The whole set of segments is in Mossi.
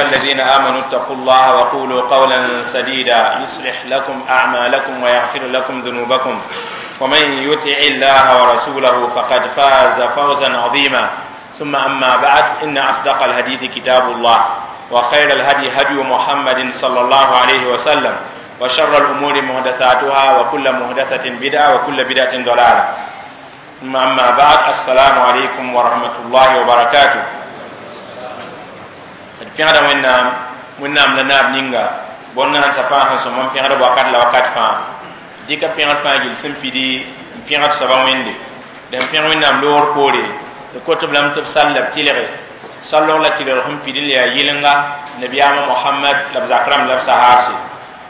الذين آمنوا اتقوا الله وقولوا قولا سديدا يصلح لكم أعمالكم ويغفر لكم ذنوبكم، ومن يطع الله ورسوله فقد فاز فوزا عظيما. ثم أما بعد، إن أصدق الحديث كتاب الله، وخير الهدي هدي محمد صلى الله عليه وسلم، وشر الأمور محدثاتها، وكل محدثة بدعة، وكل بدعة ضلالة. ثم أما بعد، السلام عليكم ورحمة الله وبركاته. Pẽgda Wẽnnaam, Wẽnnaam la naab ninga bõn-naans fãa sẽn sõm n pẽgd wakat la wakat fãa. Dɩka pẽgd fãa gill sẽn pidi n pẽgd soaba Wẽnde. Dẽn pẽg Wẽnnaam loogr poore, d kot-b lame tɩ b sall la b tɩlge sallg la tɩlgr sẽn pid n le yaa yɩlenga nabiyaamã Mohamad la b zak rãmb la b sahaarse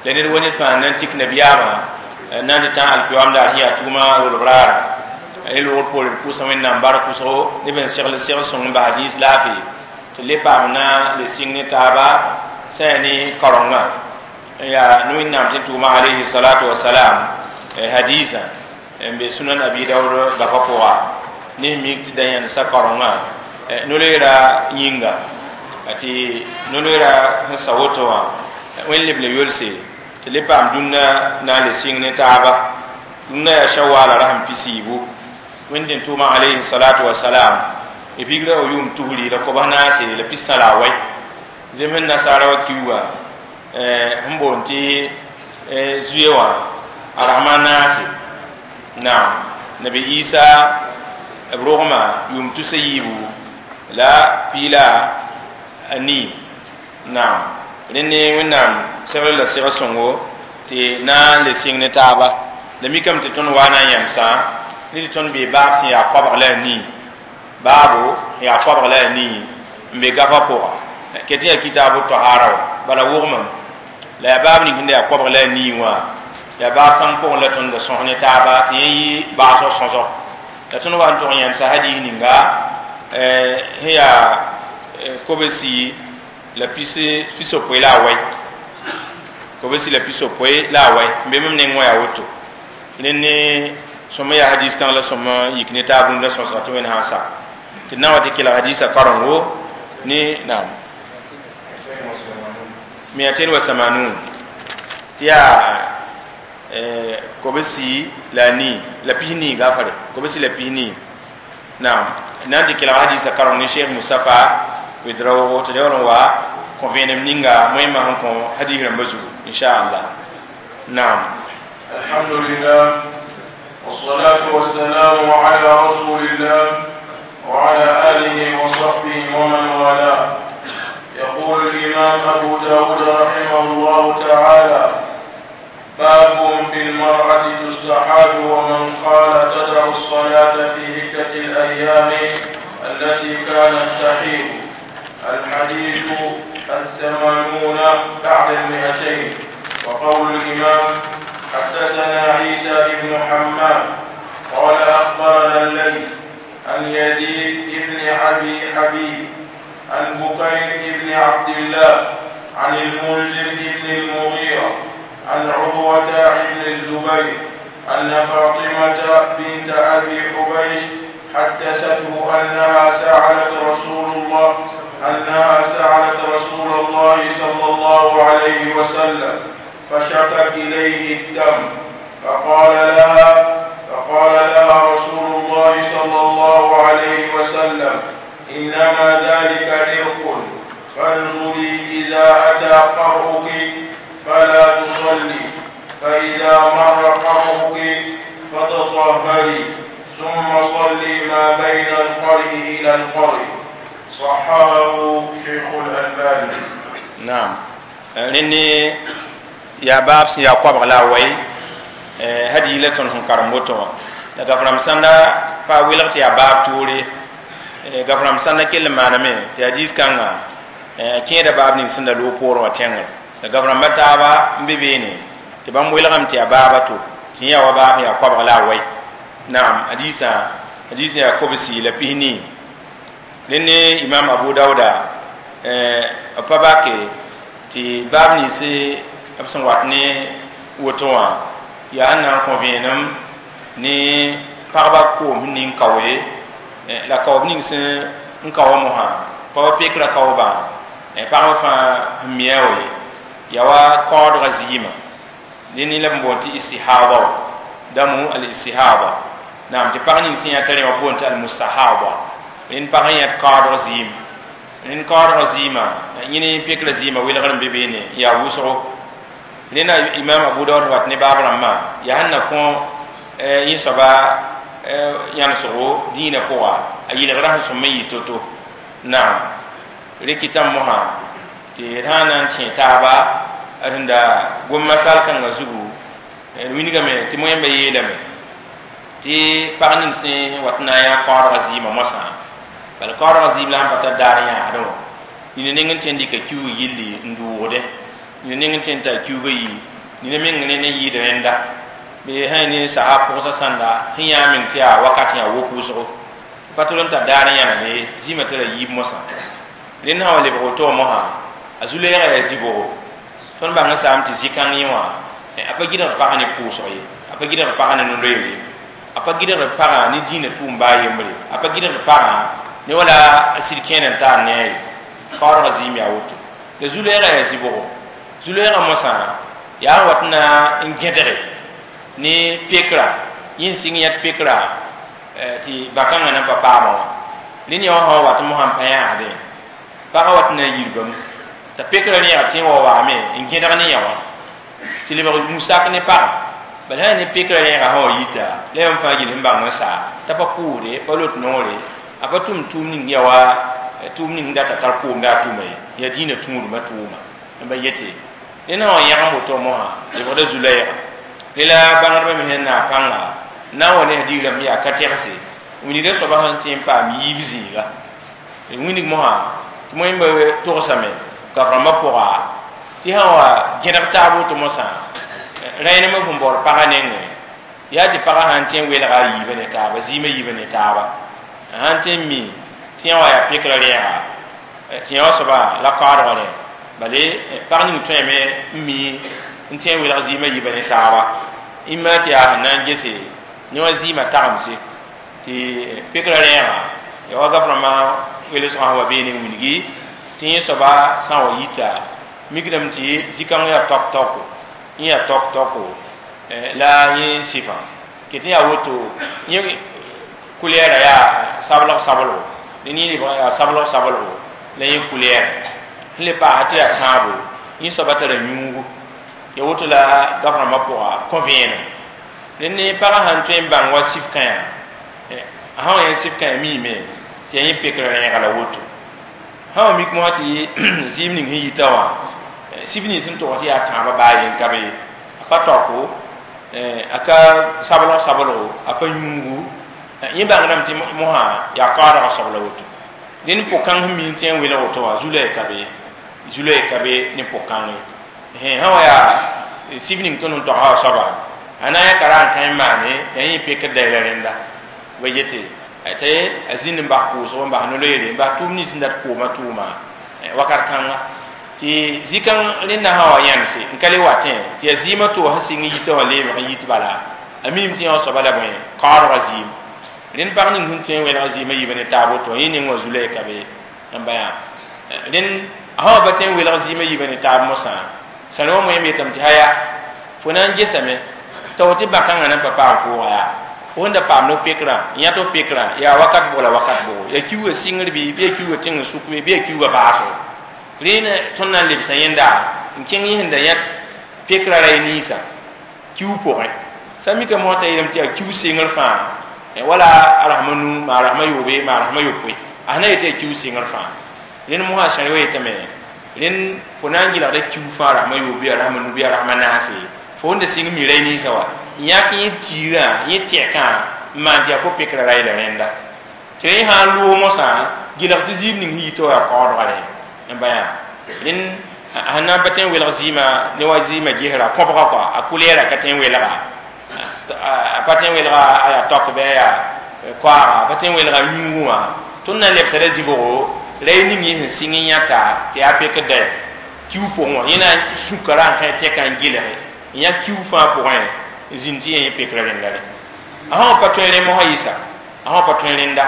la ned wa ned fãa na n tik nabiyaamã na n tɩ tã alkiyoam daar sẽn yaa tugmã rolb raara. Ne loogr poore, d pʋʋsa Wẽnnaam bark wʋsgo neb n segl segl sõng n bas rĩis laafɩ tɩ le paam na le sɩng ne taaba sã yaa ne kaorengã yaa ne Wẽnnaam tɩ tʋʋma alayhi salatu wasalam hadisa n be Sunan Abi Daood gafa pʋga. Ne mik tɩ da yãndsa kaorengã no-loeera yĩnga tɩ no-loeera sẽn sa woto wã Wẽnd leb le yolse tɩ le paam dũnna na n le sɩng ne taaba. Dũnna yaa shawaala rasem pisiibu. Wẽnd n tʋʋma alayhi salatu wasalam b pigra wa yʋʋm tusri la kobs naase la pistã la a wɛ zem sẽn nasaara wa kiuga sẽn boond tɩ zuye wã a rasma naase. Naam, nabi Isa b rogma yʋʋm tusa yiibu la piila a nii. Naam, rẽnd Wẽnnaam segl la segl sõngo tɩ na n le sɩng ne taaba. La mikame tɩ tõnd wa na n yãmsã ne tɩ tõnd bee baab sẽn yaa koabg la a nii, baabo yaa koabg la a nii n be gafa pʋga ket yaa kitaabu tahara wa bala wʋgmam la yaa baab ning sẽn da yaa koabg la a nii wã yaa baab kãng pʋgẽ la tõnd da sõs ne taaba tɩ yẽ yɩ baasg sõsg. La tõnd wa n tʋg n yãndsa hadis ninga sẽn yaa kobsi la pisopoe la a wɛ, kobsi la pisopoe la a wɛ n be mam neng wã yaa woto. Rẽnd ne sõma yaa hadis kãng la sõma yik ne taab rũndã sõsga tɩ Wẽnd sã n sa tɩ d na wa tɩ kelg hadisa karengo ne naam 280 tɩ yaa kobsi la nii la pisnii gafare, kobsi la pisnii. Naam, na n tɩ kelg hadisa kareng ne Cheikh Moustapha Ouedraogo tɩ yaool n wa kõ vẽenem ninga moẽmã sẽn kõ hadis rãmbã zugu, inchallah. Naam. الحمد لله والصلاة والسلام على رسول الله وعلى آله وصحبه ومن والاه. يقول الإمام أبو داود رحمه الله تعالى: باب في المرأة تستحاض ومن قال تدع الصلاة في عدة الأيام التي كانت تحيض. الحديث 280. وقول الإمام: حدثنا عيسى بن حماد قال أخبرنا الليث عن يزيد بن أبي حبيب عن بكير بن عبد الله عن المنذر بن المغيرة عن عروة بن الزبير أن فاطمة بنت أبي حبيش حدثته أنها سألت رسول الله صلى الله عليه وسلم فشكت إليه الدم، فقال لها رسول الله صلى الله عليه وسلم: إنما ذلك عرق، فانظري إذا أتى قرؤك فلا تصلي، فإذا مر قرؤك فتطهري، ثم صلي ما بين القرء إلى القرء. صححه شيخ الألباني. نعم، rẽnd yaa baab sẽn yaa koabg la a wai hadiis la tõnd sẽn karem woto wã. La gaf-rãmb sãnda pa welg tɩ yaa baab toore, gaf-rãmb sãnda kell n maaname tɩ hadiis kãnga kẽeda baab ning sẽn da loog poorẽ wã tẽngr. La gaf-rãmbã taaba n be beene tɩ bãmb welgame tɩ yaa baaba to tɩ yẽ yaa wa baab yaa koabg la a wai. Naam, hadiisã hadiis yaa kobsi la pisnii. Rẽnd ne Imam Abu Dauda b pa bake tɩ baab nins b sẽn wat ne woto wã yaa n na n kõ vẽenem ne pagba koom sẽn ning kaoe la kaoob ning sẽn n kao mosã pagba pekra kaoobã. Pagba fãa sẽn mia wa ye yaa wa kaoodga zɩɩmã dẽnd la b boond tɩ istihada wã damu al istihada naam tɩ pag ning sẽn yã t'a rẽ wã boond tɩ al mustahada rẽnd pag n yãt kaoodg zɩɩm rẽnd kaoodg zɩɩmã yẽ ne pekrã zɩɩmã welgr n be beene n yaa wʋsgo rẽnda imam abu daood wat ne baab rãmbã yaa sẽn na kõ yẽ soaba yãnesgo dĩinã pʋga a yɩlgrã sẽn sõm n yɩ to-to naam rɩkɩtame mosã tɩ d sã n na n tẽ taaba rẽnda gom-masal kãngã zugu d wilgame tɩ moẽmba yeelame tɩ pag ning sẽn wat n na n yã kaoodgã zɩɩmã moasã bala kaoodgã zɩɩm la sẽn pa tar daar yãasdẽ wã nina neng n tõe n dɩka kiuug yilli n dʋʋgdẽ nina neng n tõe n t'a kiuugã yi nina meng ne ne yɩɩd rẽnda bɩ sã ne sasa pʋgsa sãnda sẽn yã meng tɩ yaa wakat yã wok wʋsgo pa tol n tar daar n yãna ne zĩmã tara yiib mosã rẽnd sã wa lebg woto wã mosã a zu-leegã yaa zĩ-bogo tõnd bãng n saam tɩ zĩ-kãng yẽ wã a pa gɩdgd pagã ne pʋʋsg ye a pa gɩdgd pagã ne no-loeere a pa gɩdgd pagã ne dĩinã tʋʋm baa yembre a pa gɩdgd pagã ne wala a sɩd kẽer n taar ne a ye kaoodgã zɩɩm yaa woto la zu-leegã yaa zĩ-bogo zu-leegã mosã yaa n wat n na n gẽdge ne pekra yẽ sɩng yãt pekra tɩ bãkãngã na n pa paamã wã rẽnd yaa wã sã wa wat mosã n pa yãasdẽ pagã wat n na n yirbame t'a pekra rẽega tɩ wa waame n gẽdg ne yã wã tɩ lebg musak ne pagã bala sã ne pekra rẽega sã wa yita la yãmb fãa gill sẽn bãng n saa t'a pa pʋʋsde pa lot noore a pa tʋm tʋʋm ning yaa wa tʋʋm ning data tar koomda a tʋma ye yaa dĩinã tũudmã tʋʋma n ba yete rẽnd sã wa yãgem woto mosã lebgda zu-laɛɛga rẽ la bãngdbã me sẽn naag pãnga n na n wa ne digrame yaa ka tɛgse wilgda soaba sẽn tõe n paam yiib zĩiga wilg mosã tɩ moẽmba togsame kaf-rãmbã pʋga tɩ sã wa gẽdg taab woto mosã rẽenemã sẽn baood pagã nengẽ yaa tɩ pagã sã n tõe n welga a yiibã ne taaba zɩɩmã yiibã ne taaba sã n tõe n mi tɩ yã wa yaa pekrã rẽega tɩ yã wã soaba la kaoodgã rẽ bale pag ning tõeme n mi n tõe n welg zɩɩmã yiibã ne taaba imma tɩ yaa sẽn na n gese ne wã zɩɩmã tagemse tɩ pekrã rẽega ya wa gaf-rãmbã welsgã sẽn wa beene n wilgi tɩ yẽ soaba sã n wa yita mikdame tɩ zĩ-kãng yaa tok-toko yẽ yaa tok-toko la yẽ sɩfã ket n yaa woto yẽ kulɛɛra yaa sablg sablgo dẽn yẽ lebg yaa sablg sablgo la yẽ kulɛɛra sẽn le paasa tɩ yaa tãabo yẽ soaba tara yũugu ya woto la gaf-rãmbã pʋga kõ vẽenem rẽnd ne pagã sãn tõe n bãng wa sif kãyã a sã wa yã sif kãyã miime tɩ yaa yẽ pekrã rẽega la woto sã wa mik mosã tɩ zɩɩm ning sẽn yita wã sif nins sẽn tog tɩ yaa tãabã baa yen ka be a pa taoko a ka sablg sablgo a pa yũugu yẽ bãngdame tɩ mosã yaa kaoodgã soab la woto dẽnd pʋg-kãng sẽn mi n tõe n welg woto wã zu-loɛɛ ka be zu-loɛɛ ka be ne pʋg-kãng ye sã wa yaa sif ning tõnd sẽn togsã wa soaba a na n yã ka ra n kã n maane tɩ a yẽ pekd da la rẽnda ba yete t'a a zĩnd n bas pʋʋsgo n bas no-loeere n bas tʋʋm nins sẽn dat koomã tʋʋma wakat kãnga tɩ zĩ-kãng rẽnda sã wa yãnse n ka le watẽ tɩ yaa zɩɩmã to sẽn sɩng n yitã wã leebg n yit bala a miime tɩ yã wã soaba la bõe kaoodgã zɩɩm rẽnd pag ning sẽn tõe n welg zɩɩmã yiibã ne taab woto yẽ ning wã zu-loɛɛ ka be n ba yã rẽnd a sã wa pa tõe n welg zɩɩmã yiibã ne taab mosã sãn wa moẽm yetame tɩ haya fo na n gesame tao tɩ bãkãngã na n pa paam fooga yaa fo sẽn da paam ne pekrã n yãt f pekrã yaa wakat bʋg la wakat bʋgo yaa kiuugã sɩngr bɩ bɩ yaa kiuugã tẽng n sʋk bɩ bɩ yaa kiuugã baasgo rẽnd tõnd na n lebsa yẽnda n kẽng yẽ sẽn da yãt pekrã ra ninsã kiuug pʋgẽ sã mika mosã t'a yeelame tɩ yaa kiuug sengr fãa wala a rasma nu maa rasma yoobe maa rasma yopoe a sẽn na yetɩ yaa kiuug sengr fãa rẽnd mosã sãr wa yetame rẽnd fo na n gɩlgda kiuug fãa rasma yoobe a rasma nu bɩ a rasma naase fo sẽn da sɩng mi ra ninsã wa n yãk yẽ tiirã yẽ tɛkã n maan tɩ yaa fo pekrã ra yela rẽnda tɩ rẽ sã n loog mosã gɩlg tɩ zɩɩm ning sẽn yita wa yaa kaoodgã rẽ n ba yã rẽnd sẽn na n pa tõe n welg zɩɩmã ne wa zɩɩmã gesra kõbga kɔa a kulɛɛra ka tõe n welga a pa tõe n welga a yaa tok bɩ a yaa koaaga a pa tõe n welga yũugu wã tõnd na n lebsda zĩ-bʋgo ra y ning yẽ sẽn sɩng n yãta tɩ yaa pekd da kiuug pʋgẽ wã yẽ na n sũka ra n kã tɛkã n gɩlge n yã kiuug fãa pʋgẽ n zĩnd tɩ yẽ pekrã rẽnda re a sã wa pa tõe rẽ mosã yɩsa a sã wa pa tõe rẽnda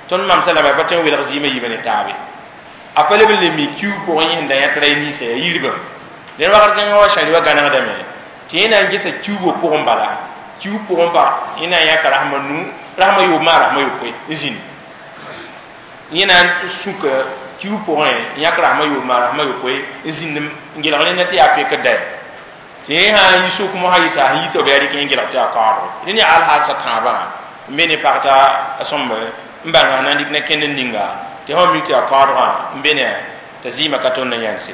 tõnd mamsa lame a pa tõe n welg zɩɩmã yiibã ne taabe A pa leb n le mi kiuug pʋgẽ yẽ sẽn da yãt ra ninsã yaa yiribã ned wakat kãngã wa sãri wa gãnegdame tɩ yẽ na n gesa kiuugã pʋgẽ bala kiuug pʋgẽ pa yẽ na n yãka rasem a nu rasem a yoob maa rasem a yopoe n zĩnd yẽ na n sũka kiuug pʋgẽ n yãk rasem a yoob maa rasem a yopoe n zĩnd n gelg rẽnda tɩ yaa pekd da tɩ yẽ sã n yi sʋk mosã yɩsa sẽn yi tɩ b yaa rɩk yẽ gelg tɩ yaa kaoodgo rẽ ne alhaal sa tãabã n be ne pag t'a a sõmb n bãnga sẽn na n dɩk na kẽnd n ninga tɩ sã mik tɩ yaa kaoodgã n be ne t'a zɩɩmã ka tõnd n yãnse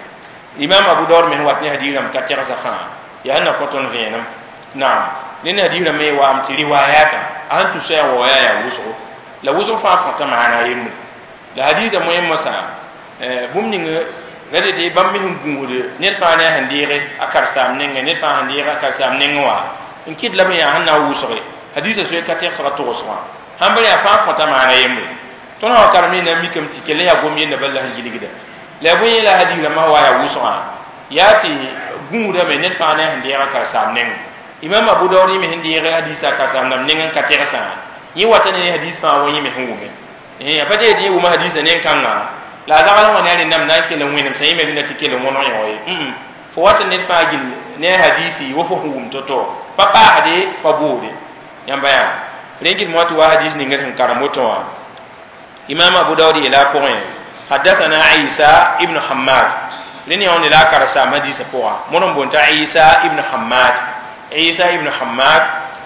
imam abu daud me sẽn wat ne hadiis rãmb ka tɛgsa fãa yaa sẽn na kõ tõnd vẽenem naam ne ne hadiis rãmb me waam tɩ riwayatã a sẽn tʋsa yaa wa yaa wʋsgo la wʋsg fãa kõta maana a yembre la hadiisã moẽ mosã bũmb ning la dete bãmb me sẽn gũusd ned fãa ne a sẽn deege a karen-saam nengẽ ned fãa sẽn deege a karen-saam nengẽ wã n kɩt la b yaa sẽn na n wʋsge hadiisã soe ka tɛgsga togsgã sãn b yaa fãa kõta maana yembre tõnd sã wa karem ne na n mikame tɩ kell n yaa gom yenda bala la sẽn gilgda la bõe yẽ la hadiis rãmbã wa yaa wʋsgã yaa tɩ gũudame ned fãa ne a sẽn deeg a karen-saam nengẽ imam abu daood yẽ me sẽn deeg hadiisã a karen-saam rãmb nengẽ n ka tɛgsã yẽ wata ne hadiis fãa wa yẽ me sẽn wʋme a pa tɩ yẽ wʋma hadiisã nen-kãngã la a zagl wã ne a rẽndame na n kell n wẽnem sã yẽ me rẽnda tɩ kell n wõneg yõ ye fo wata ned fãa gill ne a hadiisi wa fo sẽn wʋm to-to pa paasde pa boode yãmba yaa rẽ gɩd moa tɩ wa hadiis ning d sẽn karem woto wã imam abu daood yeela a pʋgẽ حدثنا عيسى ابن حماد لن يون لا كرسا حديث بوغا مونم بونتا عيسى ابن حماد عيسى ابن حماد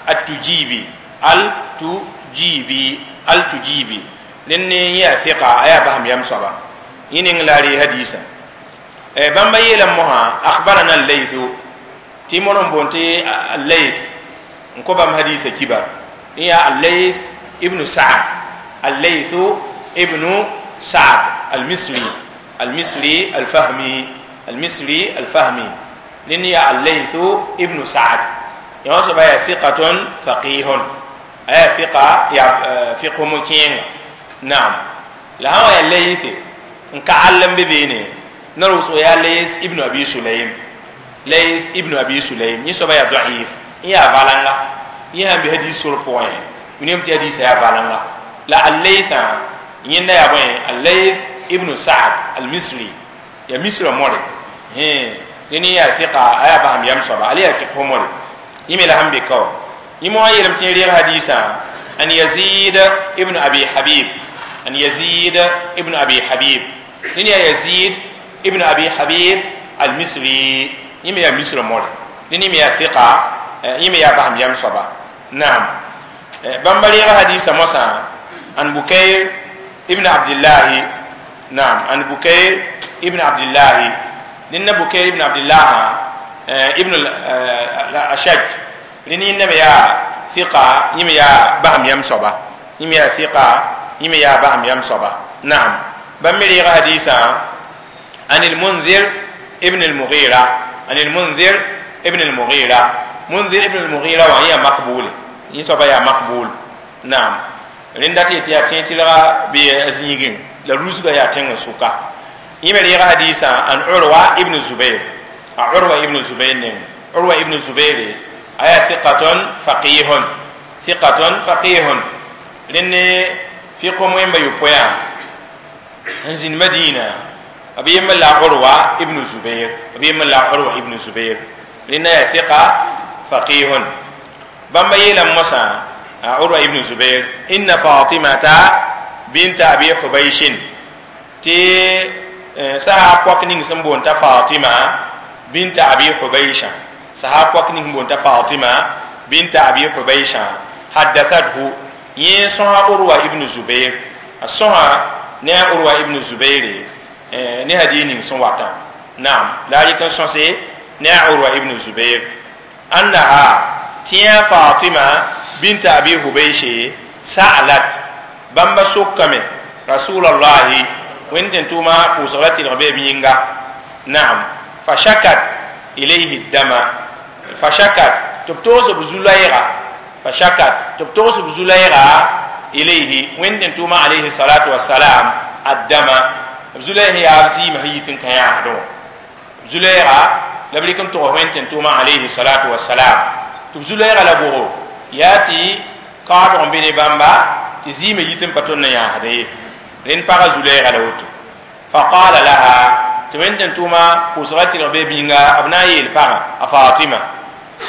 التجيبي التجيبي التجيبي لن يا ثقة ايا بهم يم صبا ينين لاري حديثا بامبا يلا موها اخبرنا الليث تي مونم بونتي الليث نكو بام حديث كبار يا الليث ابن سعد الليث ابن سعد المصري المصري الفهمي المصري الفهمي لن يا الليث ابن سعد يوسف يا ثقة فقيه أي ثقة يا فقه مكين نعم لا هو يا الليث إن كعلم ببينه نروس يا ليث ابن أبي سليم ليث ابن أبي سليم يسوع يا ضعيف يا فالانغا يا بهدي سور بوين من يوم تهدي سيا فالانغا لا الليث yẽnda yaa bõe al-Layth ibn Sa'd al-Misri ya misra more dẽn yaa fiqa a yaa basam yam soaba ala yaa fiq more yẽ me la sẽn be kao yẽ moa yeelame tɩ reeg hadiisã an Yazid ibn Abi Habib an Yazid ibn Abi Habib dẽn yaa Yazid ibn Abi Habib al-Misri yẽ me yaa misra more dẽn me yaa fiqa yẽ me yaa basam yam soaba naam bãmba reeg hadiisã mosã an Bukayr ابن عبد الله نعم عن بكير ابن عبد الله لأن بكير ابن عبد الله ابن الأشج لأن إنما يا ثقة يم يا بهم يم صبا يم يا ثقة يم يا بهم يم صبا نعم بمري حديثا عن المنذر ابن المغيرة عن المنذر ابن المغيرة منذر ابن المغيرة وهي مقبول يصبا يا مقبول نعم rẽnda tɩ yaa tẽ tɩlga bɩ a zĩigẽ la rusga yaa tẽng sʋka yẽ me reega hadiisã an Urwa ibn Zubair a Urwa ibn Zubair neng Urwa ibn Zubair a yaa thiqatun faqihun thiqatun faqihun rẽnd fiq wẽmba yopoe n zĩnd Madina b yembr la Urwa ibn Zubair b yembr la Urwa ibn Zubair rẽnda yaa thiqa faqihun bãmba yeelame mosã عروة ابن زبير إن فاطمة بنت أبي حبيش تي سها بوك نين سمبون تا فاطمة بنت أبي حبيش سها بوك نين بون تا فاطمة بنت أبي حبيش حدثته يسوع عروة ابن زبير السوع نا عروة ابن زبير ne hadith ning sẽn wata naam la a yik n sõse ne a Urwa ibn Zubair annaha tɩ Fatima bint Abi Hubaysh sa'alat bãmba sokame Rasulallahi wẽnd tɩ tʋʋma pʋʋsg la tɩlg bee b yĩnga naam fashakat ilayhi dama fashakat tɩ b togs b zu-loɛɛga fashakat tɩ b togs b zu-loɛɛga ilayhi wẽnd tɩ tʋʋma alayhi salatu wasalam addama b zu-loɛɛg yaa b zɩɩmã sẽn yit n kã yãasdẽ wã zu-loɛɛga la b rɩk n tʋgs wẽnd tɩ tʋʋma alayhi salatu wasalam tɩ b zu-loɛɛga la bʋgo yaa tɩ kaoodg n be ne bãmba tɩ zɩɩmã yit n pa tõnd n yãasdẽ ye rẽnd pagã zu-loɛɛga la woto Fa qala laha tɩ wẽn tʋʋma pʋʋsga tɩrg be bĩnga b na n yeel pagã a Fatima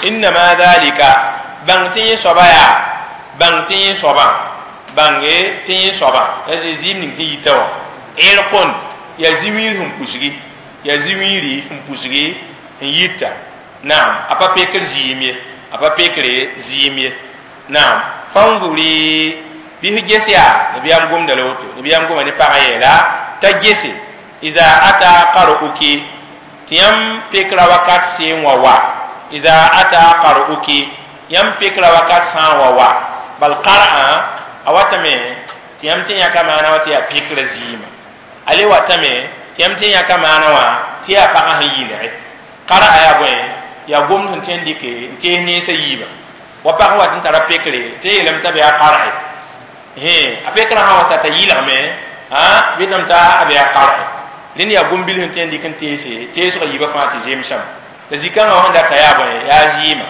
innama dhalika bãng tɩ yẽ soaba yaa bãng tɩ yẽ soabã bãnge tɩ yẽ soabã la zɩɩm ning sẽn yita wã irqun ya zĩ-wiir sẽn pusgi ya zĩ-wiiri sẽn pusgi n yita naam a pa pekr zɩɩm ye a pa pekre zɩɩm ye naam fanzuri bɩ f ges yaa nabiyaam gomda la woto nabiyaam goma ne pagã yeela t'a gese iza ata qar'uki tɩ yãmb pekra wakat seen wa wa iza ata qar'uki yãmb pekra wakat sã n wa wa bal qar'a a watame tɩ yãmb tɩ yãka maana wa tɩ yaa pekra zɩɩmã a le watame tɩ yãmb tɩ yãka maana wã tɩ yaa pagã sẽn yɩlge qar'a yaa bõe yaa gomd sẽn tõe n dɩke n tees nensã yiibã wa pag wat n tara pekre tɩ yeelame t'a be a qar'e a pekrã sã wa sa t'a yɩlgme bɩ tame t'a a be a qar'e rẽnd yaa gom-bil sẽn tõe n dɩk n teese teesgã yiibã fãa tɩ zemsame la zĩ-kãngã sẽn data yaa bõe yaa zɩɩmã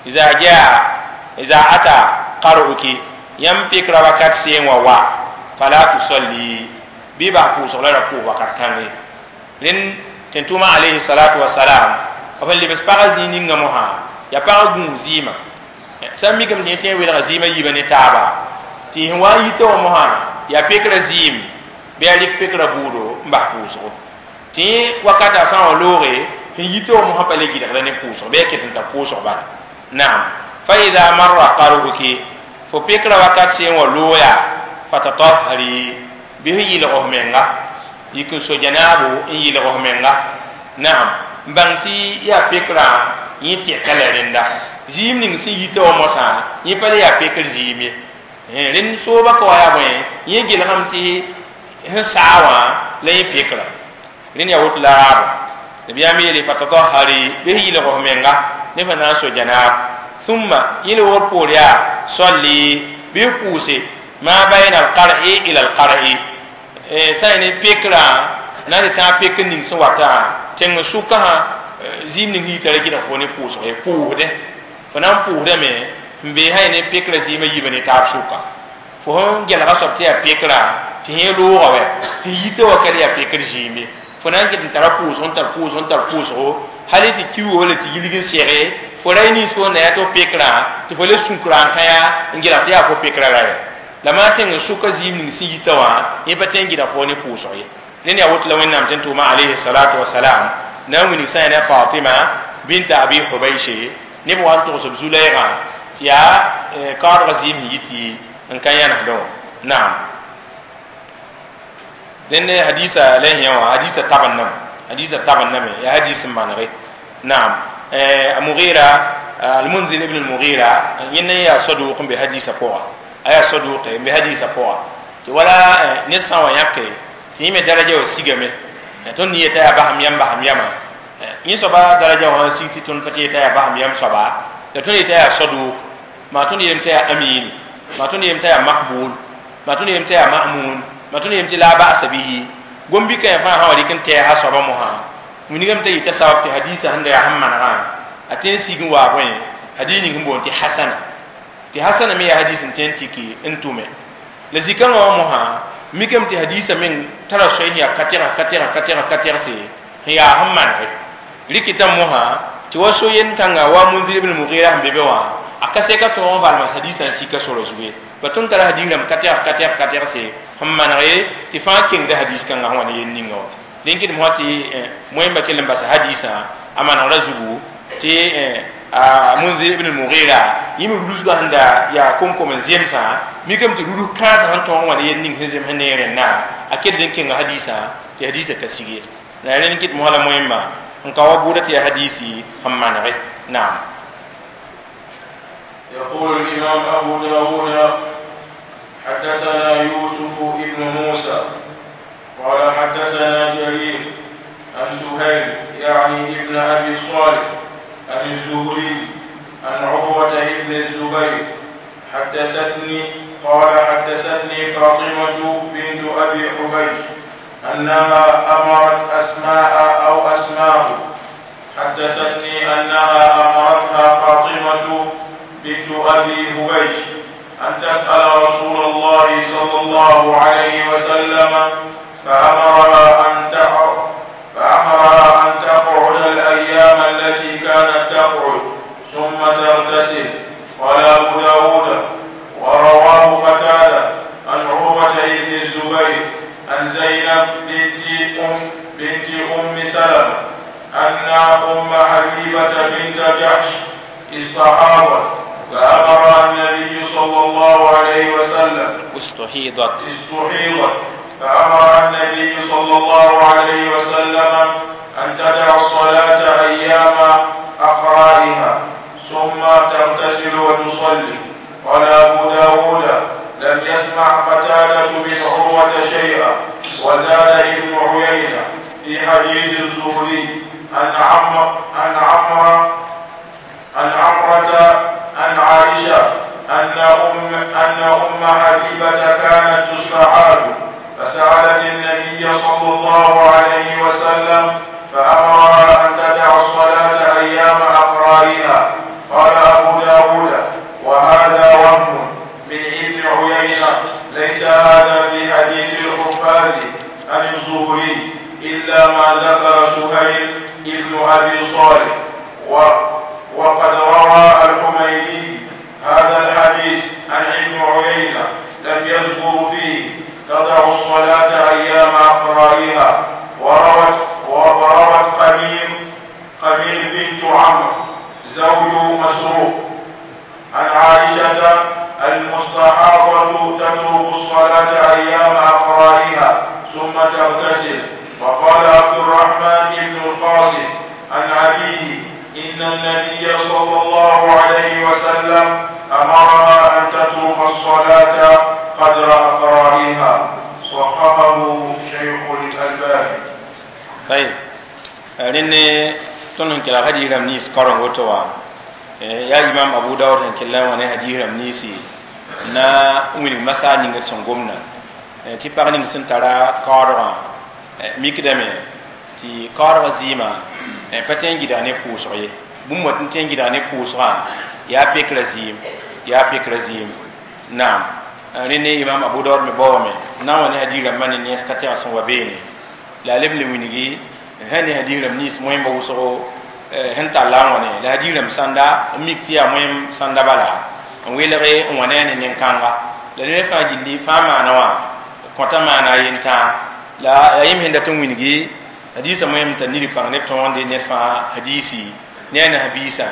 iza jaa iza ata qar'uki yãmb pekra wakat seen wa wa fala tusalli bɩ bas pʋʋsg la ra pʋʋs wakat kãnge rẽnd tẽn-tʋʋma alayhi salatu wasalam b sẽn lebs pagã zĩig ninga mosã yaa pagã gũus zɩɩmã sã n mikame tɩ yẽ tõe n welga zɩɩmã yiibã ne taaba tɩ sẽn wa n yita wã mosã yaa pekra zɩɩm bɩ a rɩk pekra bʋʋdo n bas pʋʋsgo tɩ yẽ wakata sã n wa looge sẽn yita wã mosã pa le gɩdgda ne pʋʋsg bɩ a ket n tar pʋʋsg bala naam fa ida marra qar'uki fo pekra wakat seen wa looya fatatahari bɩ f yɩlg f menga yik n so janaabo n yɩlg f menga naam n bãng tɩ yaa pekrã yẽ tɛka la rẽnda zɩɩm ning sẽn yita wã mosã yẽ pa le yaa pekr zɩɩm ye rẽnd sooba ka wa yaa bõe yẽ gelgame tɩ sẽn saa wã la yẽ pekra rẽnd yaa woto la raabo nabiyaam yeele fatatahari bɩ f yɩlg f menga ne fa na n so janaab thumma yẽ loogr poor yaa solli bɩ f pʋʋse ma bayna alqar'i ila alqar'i sã n ne pekrã na n tɩ tãag pekr ning sẽn wata tẽng sʋka sã zɩɩm ning yita ra gɩdg fo ne pʋʋsg ye pʋʋsdẽ fo na n pʋʋsdame n bee sã ne pekrã zɩɩmã yiibã ne taab sʋka fo sẽn gelga soab tɩ yaa pekrã tɩ yẽ looga wɛ sẽn yita wa ka le yaa pekr zɩɩm ye fo na n ket n tara pʋʋsg n tar pʋʋsg n tar pʋʋsgo hal tɩ kiugo wala tɩ yilg n sɛge fo ra nins fo na yaa tɩ f pekrã tɩ fo le sũkra n kã n gelg tɩ yaa fo pekrã ra ye la maa tẽng n sʋka zɩɩm ning sẽn yita wã yẽ pa tõe n gɩdg fo ne pʋʋsg ye rẽnd yaa woto la Wẽnnaam tẽn tʋʋma alayhi salatu wasalam na n wilg sã n yaa Fatima binta Abi Hubayshe neb wa n togs b zu-lɛɛgã tɩ yaa kaoodgã zɩɩm sẽn yi tɩ n ka yãnesdẽ wã naam dẽnd hadisa la yẽ wã hadisa tab n name hadisa tab n name yaa hadis n manege naam Mughira Al-Munzir ibn al-Mughira yẽnd n yaa saduq n be hadisa pʋga a yaa saduq n be hadisa pʋga tɩ wala ned sã n wa yãke tɩ yẽ me daraja wã sigame tõnd yeta yaa basam yam basam yamã yẽ soaba daraja wã sig tɩ tõnd pa tɩ yeta yaa basam yam soaba la tõnd yeta yaa saduq maa tõnd yeelame t'a yaa amin maa tõnd yeelame t'a yaa maqbul maa tõnd yeelame t'a yaa ma'mun maa tõnd yeelame tɩ la ba'sa bihi gom-bɩka yã fãa sã wa dɩk n tɛɛsa soaba mosã wilgame t'a yita sabab tɩ hadisa sẽn da yaa sẽn manegã a tõe n sig n waa bõe hadis ning sẽn boond tɩ hasana tɩ hasana me yaa hadis n tõe n tiki n tʋme la zĩ-kãngã wã mosã mikame tɩ hadisa meng tara soay sẽn yaa ka tɛgs ka tɛgs ka tɛgs ka tɛgse sẽn yaa sẽn manege rɩkɩtã mosã tɩ wa so yend kãnga wa Munzir ibn Mughira sẽn be be wã a ka sɛka tõog n valma hadisã n sika sora zugu ye ba tõnd tara hadis rãmb ka tɛgs ka tɛgs ka tɛgse sẽn manege tɩ fãa kengda hadis kãngã sẽn wa ne yel ninga wã rẽn kɩdem fõ tɩ moẽmba kell n basa hadisã a manegrã zugu tɩ Munzir ibn Mughira yẽ me rudusgã sẽn da yaa kom-kom n zemsã mikame tɩ rudus kãensã sẽn tõog n wa ne yel ning sẽn zems ne rẽndã a kell n kenga hadisã tɩ hadisã ka sig ye la rẽnd kɩt mosã la moẽmba n ka wa bʋʋda tɩ yaa hadisi sẽn manege naam. يقول الإمام أبو داود حدثنا يوسف ابن موسى قال حدثنا جرير عن سهيل يعني ابن أبي صالح عن الزهري عن عروة ابن الزبير حدثتني قال حدثتني فاطمة بنت أبي حبيش أنها أمرت أسماء أو أسماء حدثتني أنها أمرتها فاطمة بنت أبي حبيش أن تسأل رسول الله صلى الله عليه وسلم فأمرها أن الزبير عن زينب بنت أم سلمة أن أم حبيبة بنت جحش استحاضت فأمر النبي صلى الله عليه وسلم استحيضت فأمر النبي صلى الله عليه وسلم أن تدع الصلاة أيام أقرائها ثم تغتسل وتصلي. قال أبو داود لم يسمع قتادة بن عروة شيئا. وزاد ابن عيينة في حديث الزهري عن عمرة عن عائشة أن أم حبيبة كانت تستعاد فسألت النبي صلى الله عليه وسلم فأمرها أن تدع الصلاة أيام أقرائها. قال أبو داود وهذا وهم من ابن عيينة، ليس هذا في حديث الحفاظ عن الزهري إلا ما ذكر سهيل ابن أبي صالح. وقد روى الحميدي هذا الحديث عن ابن عيينة لم يذكر فيه تضع الصلاة أيام أقرائها. وروت قميل بنت عمرو زوج مسروق عن عائشة المستحاضة تترك الصلاة أيام أقرائها ثم تغتسل. وقال عبد الرحمن بن القاسم عن أبيه إن النبي صلى الله عليه وسلم أمرها أن تترك الصلاة قدر أقرائها. صححه شيخ الألباني. طيب لأن تنهن كلا هدي رمنيس قرن وتوا يا إمام أبو داود كلا وانا هدي رمنيسي نا وين مسا نينغ سونغومنا تي باغ نينغ سن تارا قارا ميكدامي تي قارا زيما pa tẽn gɩda ne pʋʋsg ye bũmb wa tɩ tẽn gɩda ne pʋʋsgã yaa pekra zɩɩm naam. Rẽnd ne imam Abu Dawud me baoome n na n wa ne hadiis rãmbã ne nens ka tɛg sẽn wa beene la a leb n le wilgi sẽn ne hadiis rãmb nins moẽmbã wʋsgo sẽn talla n wa ne la hadiis rãmb sãnda n mik tɩ yaa moẽm sãnda bala n welge n wa ne a ne nen-kãnga la ned fãa gilli fãa maana wã kõta maana a yentãa la yaa yẽmb sẽn dat n wilgi hadisa moẽm t'a niri pãng neb tõogde ned fãa hadisi ne a nasbiisã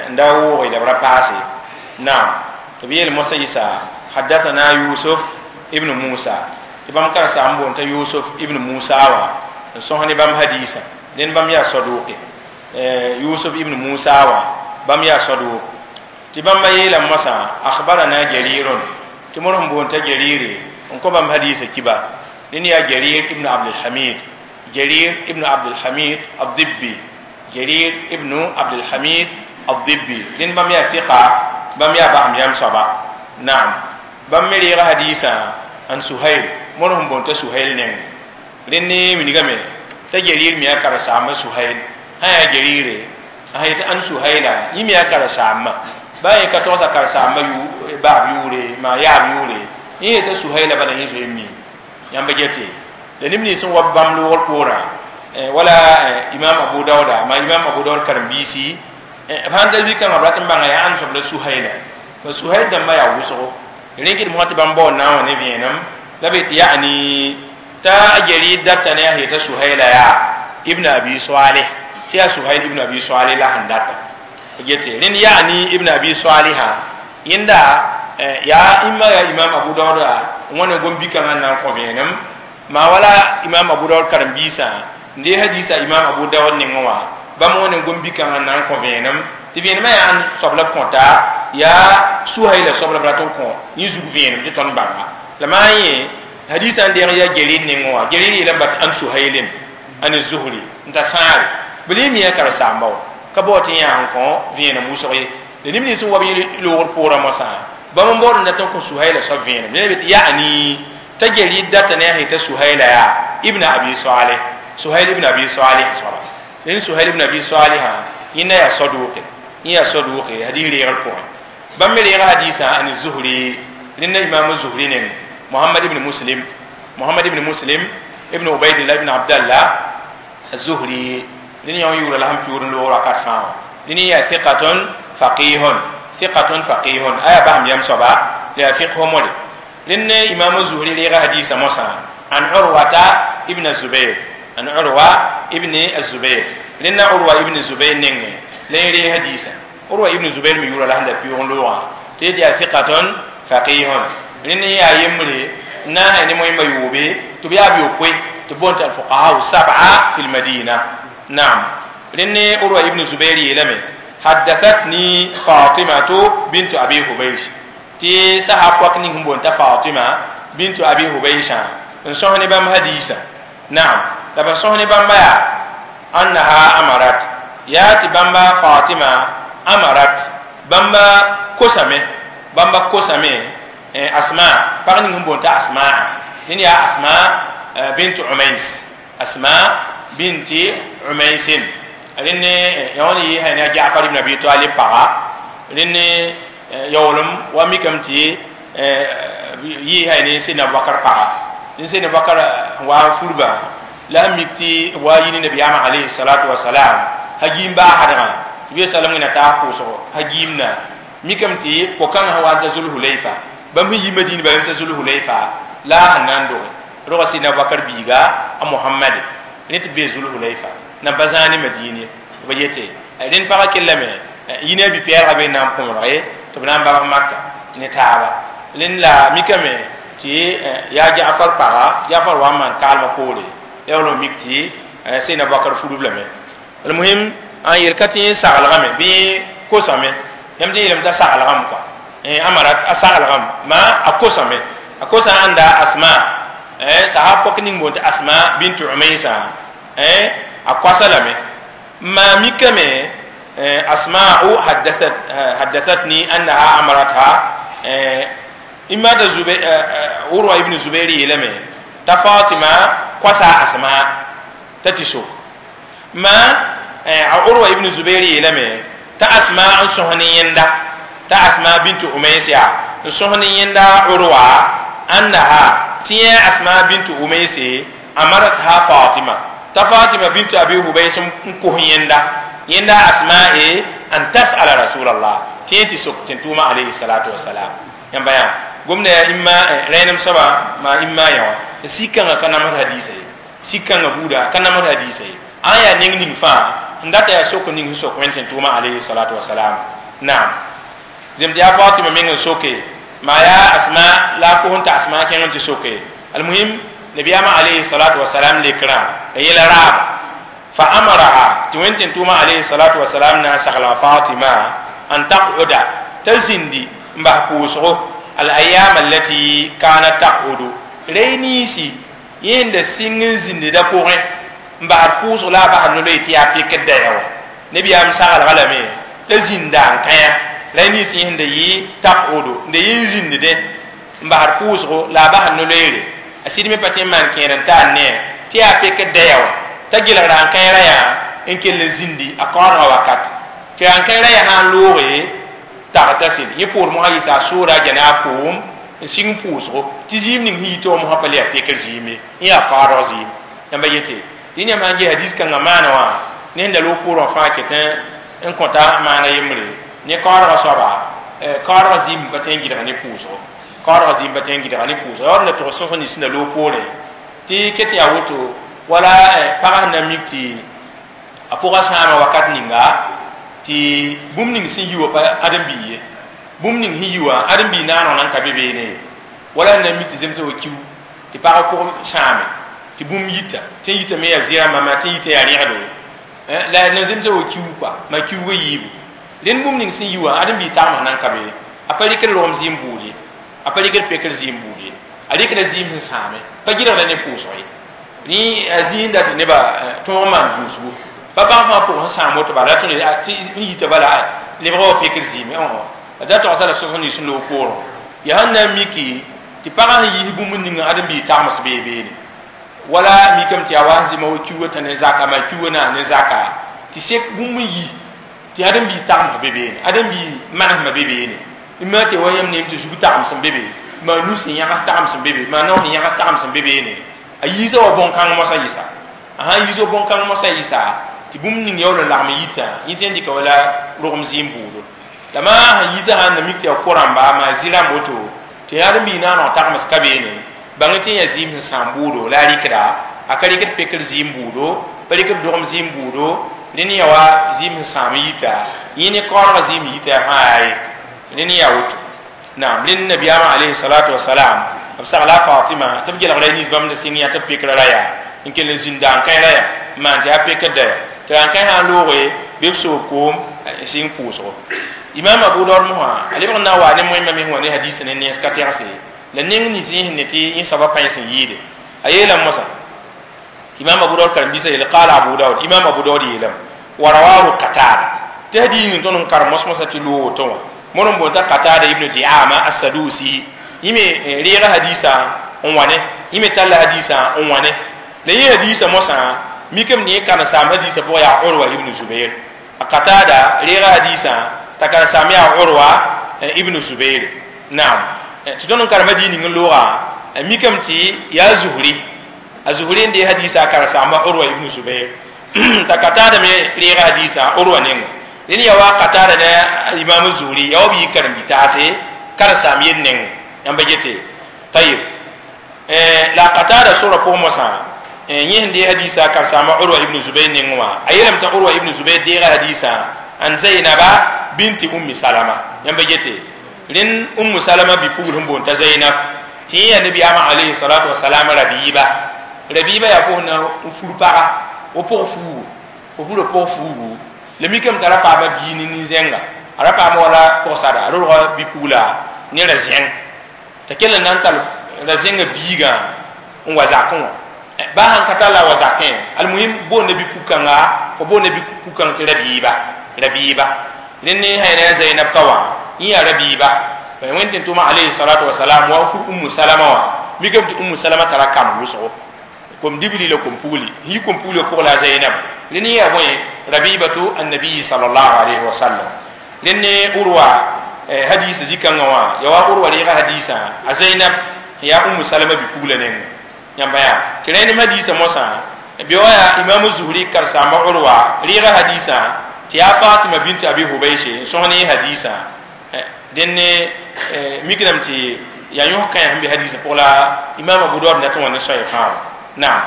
n da wooge la b ra paase. Naam, tɩ b yeel mosã yɩsa hadathana Yusuf ibn Musa tɩ bãmb karsaam n boond t'a Yusuf ibn Musa wã n sõs ne bãmb hadisã dẽnd bãmb yaa saduqe. Yusuf ibn Musa wã bãmb yaa saduq tɩ bãmba yeela mosã akhbarana Jarirun tɩ mod sẽn boond t'a Jarire n kõ bãmb hadisã kiba dẽnd yaa Jarir ibn Abdulhamid جرير ابن عبد الحميد الضبي جرير ابن عبد الحميد الضبي لين بام يا ثقة بام يا بام يام صبا. نعم بام مريغ حديثا عن سهيل مرهم بونت سهيل نين لين من غمي تجرير ميا كرسام سهيل ها جرير هاي عن سهيلا يميا كرسام باي كتوسا كرسام يو باب يوري ما يا يوري يه تسهيل بلا يزوي يام بجتي la neb nins n wa bãmb loogr poorã wala imam Abu Dawuda ma imam Abu Dawud karen-biisi b sãn da zikãngã b rat n bãnga yaa ãnd soab la Suhaila tɩ Suhail dãmbã yaa wʋsgo rẽ kɩdem fõ tɩ bãmb baood na n wa ne vẽenem la b yetɩ yaani t'a Jarir data ne a yeta Suhaila yaa ibn Abi Salih tɩ yaa Suhail ibn Abi Salih la sẽn data gete rẽnd yaani ibn Abi Salihã yẽnda yaa imma yaa imam Abu Dawuda n wa ne gom-bikãngã n na n kõ vẽenem ma wala imam Abu Dawud karen-biisã n dee hadisa imam Abu Dawud nengẽ wã bãmb wã ne gom-bikãngã n na n kõ vẽenem tɩ vẽenemã yaa ãnd soab la b kõta yaa Suhaila soab la b rat n kõ yẽ zug vẽenem tɩ tõnd bãnga la maa yẽ hadisã n deeg yaa Jarir nengẽ wã Jarir yeelame tɩ ãn Suhailin ãn Zuhri n ta sãare b le mi a karen-saamba wã ka bao tɩ yãa n kõ vẽenem wʋsg ye la neb nins n wa b yẽ loogr poorã mosã bãmb n baood n dat n kõ Suhaila soab vẽenem ned be tɩ yaani تجري دتنا هي تسهيل يا ابن أبي صالح سهيل ابن أبي صالح صبا لأن سهيل ابن أبي صالح إن يا صدوق يا صدوق هذه ريال قوي بمري حديثا عن الزهري لأن إمام الزهري نعم محمد ابن مسلم محمد ابن مسلم ابن عبيد الله ابن عبد الله الزهري لأن يوم يورا لهم بيورن لورا كارفان لأن يا ثقة فقيه ثقة فقيه أيا بهم يم صبا لا فقه مولي Rẽnd Imam Zuhri reega hadiisã mosã an Urwata ibn Zubair, an Urwa ibn Zubair. Rẽnda Urwa ibn Zubair nengẽ la yẽ reeg hadiisã. Urwa ibn Zubair me yʋʋra la sẽn da pɩʋʋg n loogã tɩ d yaa thiqatun faqihun. Rẽnd yaa yembre n na n sã ne moẽmba yoobe tɩ b yaa b yopoe tɩ b boond tɩ alfuqaha sab'a fi lmadina. Naam, rẽnd Urwa ibn Zubair yeelame haddathatni Fatimatu bintu Abi Hubaysh, tɩ sahab pɔk ning sẽn boond t'a Fatima bintu Abi Hubaysã n sõs ne bãmb hadiisã. Naam, la b sõs ne bãmba yaa annaha amarat, yaa tɩ bãmba Fatima amarat, bãmba kosame, bãmba kosame Asma, pag ning sẽn boond t'a Asma. Ned yaa Asma bint Umais, Asma binti Umaisin. Rẽnd yã wã ne yɩɩsã ne a Jafar ibn Abi Talib paga. Rẽnd yaoolem wa mikame tɩ yɩɩsã ne Sidna Abubakar paga. Rẽnd Sidna Abubakar wa n furba la sẽn mik tɩ b wa yi ne nabiyaamã alayhi salatu wasalam hagiim baasdgã tɩ b salem wẽna taas pʋʋsgo hagiimna mikame tɩ po-kãngã sẽn wa n ta Zulhulayfa, bãmb sẽn yi Madina bala n ta Zulhulayfa la a sẽn na n doge roga Sidna Abubakar biiga a Mohamad rẽ tɩ b bee Zulhulayfa na ba zãa ne Madine. B yete rẽnd pagã kellame yi ne a bi-pɛɛlgã be n na n põorge tɩ b na n babs Maka ne taaba. Rẽnd la mikame tɩ yaa Jafar paga, Jafar wa n maan kaalmã poore la yaool n mik tɩ Sidna Abubakar furb lame. Almuhim, n yel ka tɩ yẽ saglgame bɩ kosame, yãmb tɩ yeelame t'a saglgame kɔa, amarat a saglgame ma a kosame, a kosa ãnda Asma, sahab pɔk ning boond tɩ Asma bint Umaysã, a koasa lame. Ma mikame Asma'u haddathatni annaha amaratha imma da Zubair, Urwa ibn Zubair yeelame t'a Fatima koasa Asma t'a tɩ sok. Ma Urwa ibn Zubair yeelame t'a Asma n sõs ne yẽnda, t'a Asma bint Umays yaa n sõs ne yẽnda Urwa annaha tɩ yẽ Asma bint Umays amaratha Fatima, t'a Fatima bint Abi Hubays n kos yẽnda, yẽnda Asma e an tasala Rasulallah tɩ yẽ tɩ sok tɩ n tʋʋma alayhi salatu wasalam. Yãmba yã gomda yaa imma rẽenem soaba maa imma yã wã sik-kãngã ka namsd hadiisa ye, sik-kãngã buuda ka namsd hadiisa ye. Ã yaa neng ning fãa n data yaa sok ning sẽn sok wẽnd tɩ n tʋʋma alayhi salatu wasalam. Naam, zem tɩ yaa Fatima meng n soke maa yaa Asma la a kos n t'a Asma kẽng n tɩ soke. Almuhim, nabiyaamã alayhi salatu wasalam lekrã la yẽla raaba fa amaraha tɩ wẽnd tɩ n tʋʋma alayhi salatu wasalam na n sagla Fatima an taq'uda t'a zĩndi n bas pʋʋsgo al ayam allati kanat taq'udu, rey niisi yẽnda sɩng n zĩndda pʋgẽ n basd pʋʋsg la a basd no-loe tɩ yaa pekd daya wã. Nebiyaam saglga lame t'a zĩnda n kãya la niis yẽsẽnda yɩ taq'udu n da yɩ n zĩndde n basd pʋʋsgo la a basd no-loeere. A sɩd me pa tõe n maan kẽer n taar ne tɩ yaa pekd daya wã t'a gelgra n kãera yaa n kell n zĩndi a kaoodgã wakat tɩ n kãera yaa sã n looge tagta sɩd yẽ poor mosã yɩsa a soora a gɛna a koom n sɩng pʋʋsgo tɩ zĩim ning sẽn yitã wã mosã pa le yaa pekr zĩim ye, yẽ yaa kaoodg zĩim. Yãmba yete dẽ yãmb sãn ges hadiis kãngã maana wã ne sẽn da loog poorẽ wã fãa ket n kõta maana yembre ne kaoodgã soaba, kaoodgã zĩim pa tõe n gɩdg ne pʋʋsgo, kaoodgã zĩim pa tõe n gɩdga ne pʋʋsgo. Yaa d la tog sõs nins sẽn da loog poorẽ tɩ ket yaa woto wala pagã sẽn na n mik tɩ a pʋgã sãama wakat ninga tɩ bũmb ning sẽn yi wã pa ãdem-biig ye, bũmb ning sẽn yi wã ãdem-biig naaneg nan ka be beene, wala sẽn na n mik tɩ zemsg wa kiu tɩ pagã pʋg sãame tɩ bũmb yita, tɩ n yita me yaa zɩrãmbã maa tɩ n yita yaa rẽgdo la na zemsg wa kiu kɔa maa kiuugã yiibu. Rẽnd bũmb ning sẽn yi wã ãdem-biig tagmsã nan ka be, a pa rɩkd rogem zɩɩm buud ye, a pa rɩkd pekr zɩɩm buud ye, a rɩkda zɩɩm sẽn sãame pa gɩdgda ne pʋʋsg ye. Rẽ a zĩig dat nebã tõog n maan gũusgu pa bãng fãa pʋgẽ sẽn sãam woto bala tõnd tɩ n yita bala lebga wa pekr zɩɩme. Da togsa la sõs nins sẽn loog poorẽ yaa sẽn na n miki tɩ pagã sẽn yiis bũmb ning ãdem-biig tagms bee beene wala mikame tɩ yaa wa sẽn zɩma wa kiuugã tã ne zaka maa kiuugã naas ne zaka tɩ sek bũmb n yi tɩ ãdem-biig tagms be beene, ãdem-biig manesmã be beene, ma tɩ wa yãmb neem tɩ zug tagms n be be, maa nus sẽn yãgs tagms n be be, maa nao sẽn yãgs tagms n be beene. A yiisa wa bõn-kãng mosã yɩsa, a sãn yiis wa bõn-kãng mosã yɩsa tɩ bũmb ning yaool n lagm yitã yẽ tɩ n dɩka wala rogem zɩɩm buudo. La maa sãn yiisã sãn na mik tɩ yaa ko-rãmba maa zɩ-rãmb woto Tɩ yaa bi na no tagms ka beene bãng tɩ ya zɩɩm sẽn sãam bʋʋdo la a rɩkda a ka rɩkd pekr zɩɩm bʋʋdo pa rɩkd dogem zɩɩm bʋʋdo rẽnd ya wa zɩɩm sẽn sãam yita yẽ ne kaoodgã zɩɩm yita fãa yaa ye rẽnd yaa woto naam rẽnd nabiyaamã alayhi salatu wasalam b sagla Fatima tɩ b gelgra nins bãmb da sɩng yã tɩ b pekra ra yaa n kell n zĩnda n kãe ra yaa n maan tɩ yaa pekr da yaa tɩ ra n kãe sã n looge bɩ b soog koom sɩng pʋʋsgo. Imam Abu Daud mosã a lebg n na n waa ne moẽmba me sẽn wa ne hadis ne nens ka tɛgse la neng nins yẽ sẽn ne tɩ yẽ soaba pãens n yɩɩde a yeelame mosã. Imam Abu Daud karen-biisã yeele qala Abu Daud, Imam Abu Daud yeelame wa rawahu Qatada tɩ hadis ning tõnd n karem mos-mosã tɩ loog woto wã mõr n boond t'a Qatada ibn Diama Assadusi yẽ me reega hadisã n wa ne yẽ me talla hadisã n wa ne la yẽ hadisã mosã mikame tɩ yẽ karen-saam hadisã pʋgã yaa Urwa ibn Zubair. A Qatada reega hadisã t'a karen-saam yaa Urwa ibn Zubair. Naam, tɩ tõnd n karem hadis ning n loogã mikame tɩ yaa Zuhri, a Zuhri n dee hadisã a karen-saamba Urwa ibn Zubair t'a Qatada me reega hadisã Urwa nengẽ. Rẽnd yaa wa Qatada ne Imam Zuhri yaa wa b yɩ karen-bi-taase karen-saam yel nengẽ yãmba gete. Tayib, la Qatada sora pʋgẽ mosã yẽ sẽn dee hadisã karen-saamba Urwa ibn Zubair nengẽ wã a yeelame t'a Urwa ibn Zubair deega hadisã an Zainaba binti Ummi Salama yãmba gete. Rẽnd Ummu Salama bi-pugl sẽn boond t'a Zainab tɩ yẽ yaa nabiyaamã alayhi salatu wasalam rabiiba. Rabiiba yaa fo na n fur paga o pʋg fuugu fo fura pʋg fuugu la mikame t'a ra paama bii ne nin-zẽnga a ra paama wala pʋgsada a rodga bi-pugla ne ra-zẽng t'a kell n na n tall ra-zẽngã biigã n wa zakẽ wã baa sãn ka tall a wa zakẽ almuhim boonda bi-pug-kãnga fo boonda bi-pug-kãng tɩ rabiiba rabiiba. Rẽnd ne sã ne a Zainab ka wã yẽ yaa rabiiba wẽnd tɩ tʋma alayhi salatu wasalam wa fur Ummu Salama wã mikame tɩ Ummu Salama tara kamb wʋsgo kom dibli la kom pugli yi kom pugli pʋg la Zainab rẽnd yaa bõe rabibatu annabi sallallahu alayhi wa sallam. Rẽnd ne Urwa hadisa zikãngã wã yaa wa Urwa reega hadisã a Zainab yaa Ummu Salama bi-pugla nengẽ yãmba yaa tɩ rẽnd hadisa mosã bɩ wa yaa Imam Zuhri karen-saamba Urwa reega hadisã tɩ yaa Fatima bint Abi Hubayshe n sõs ne hadisã dẽn ne mikdame tɩ yaa yõs kãe sẽn be hadisã pʋg la Imam Abu Daud dat n wa ne soaya fãa. Naam,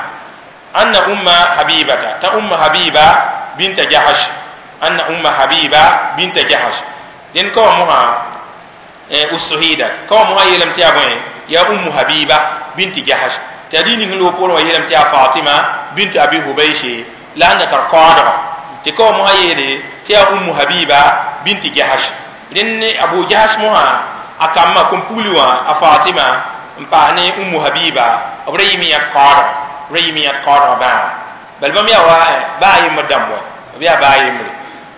anna Umma Habibata ta Umma Habiba binta Jahash, anna Umma Habiba binta Jahash dẽn ka wa mosã usuhida ka wa mosã yeelame tɩ yaa bõe yaa Ummu Habiba binti Jahash tɩ yaa dĩig ning sẽn loog poorẽ wã yeelame tɩ yaa Fatima bint Abi Hubayshe la a na tar kaoodgã tɩ ka wa mosã yeele tɩ yaa Ummu Habiba binti Jahash. Rẽnd ne Abu Jahash mosã a kambã kom-pugli wã a Fatima n paas ne Ummu Habiba b ra yɩme yãd kaoodgã b ra yɩme yãd kaoodgã bãaga bal bãmb yaa wa baa yembr dãmb wa b yaa baa yembre.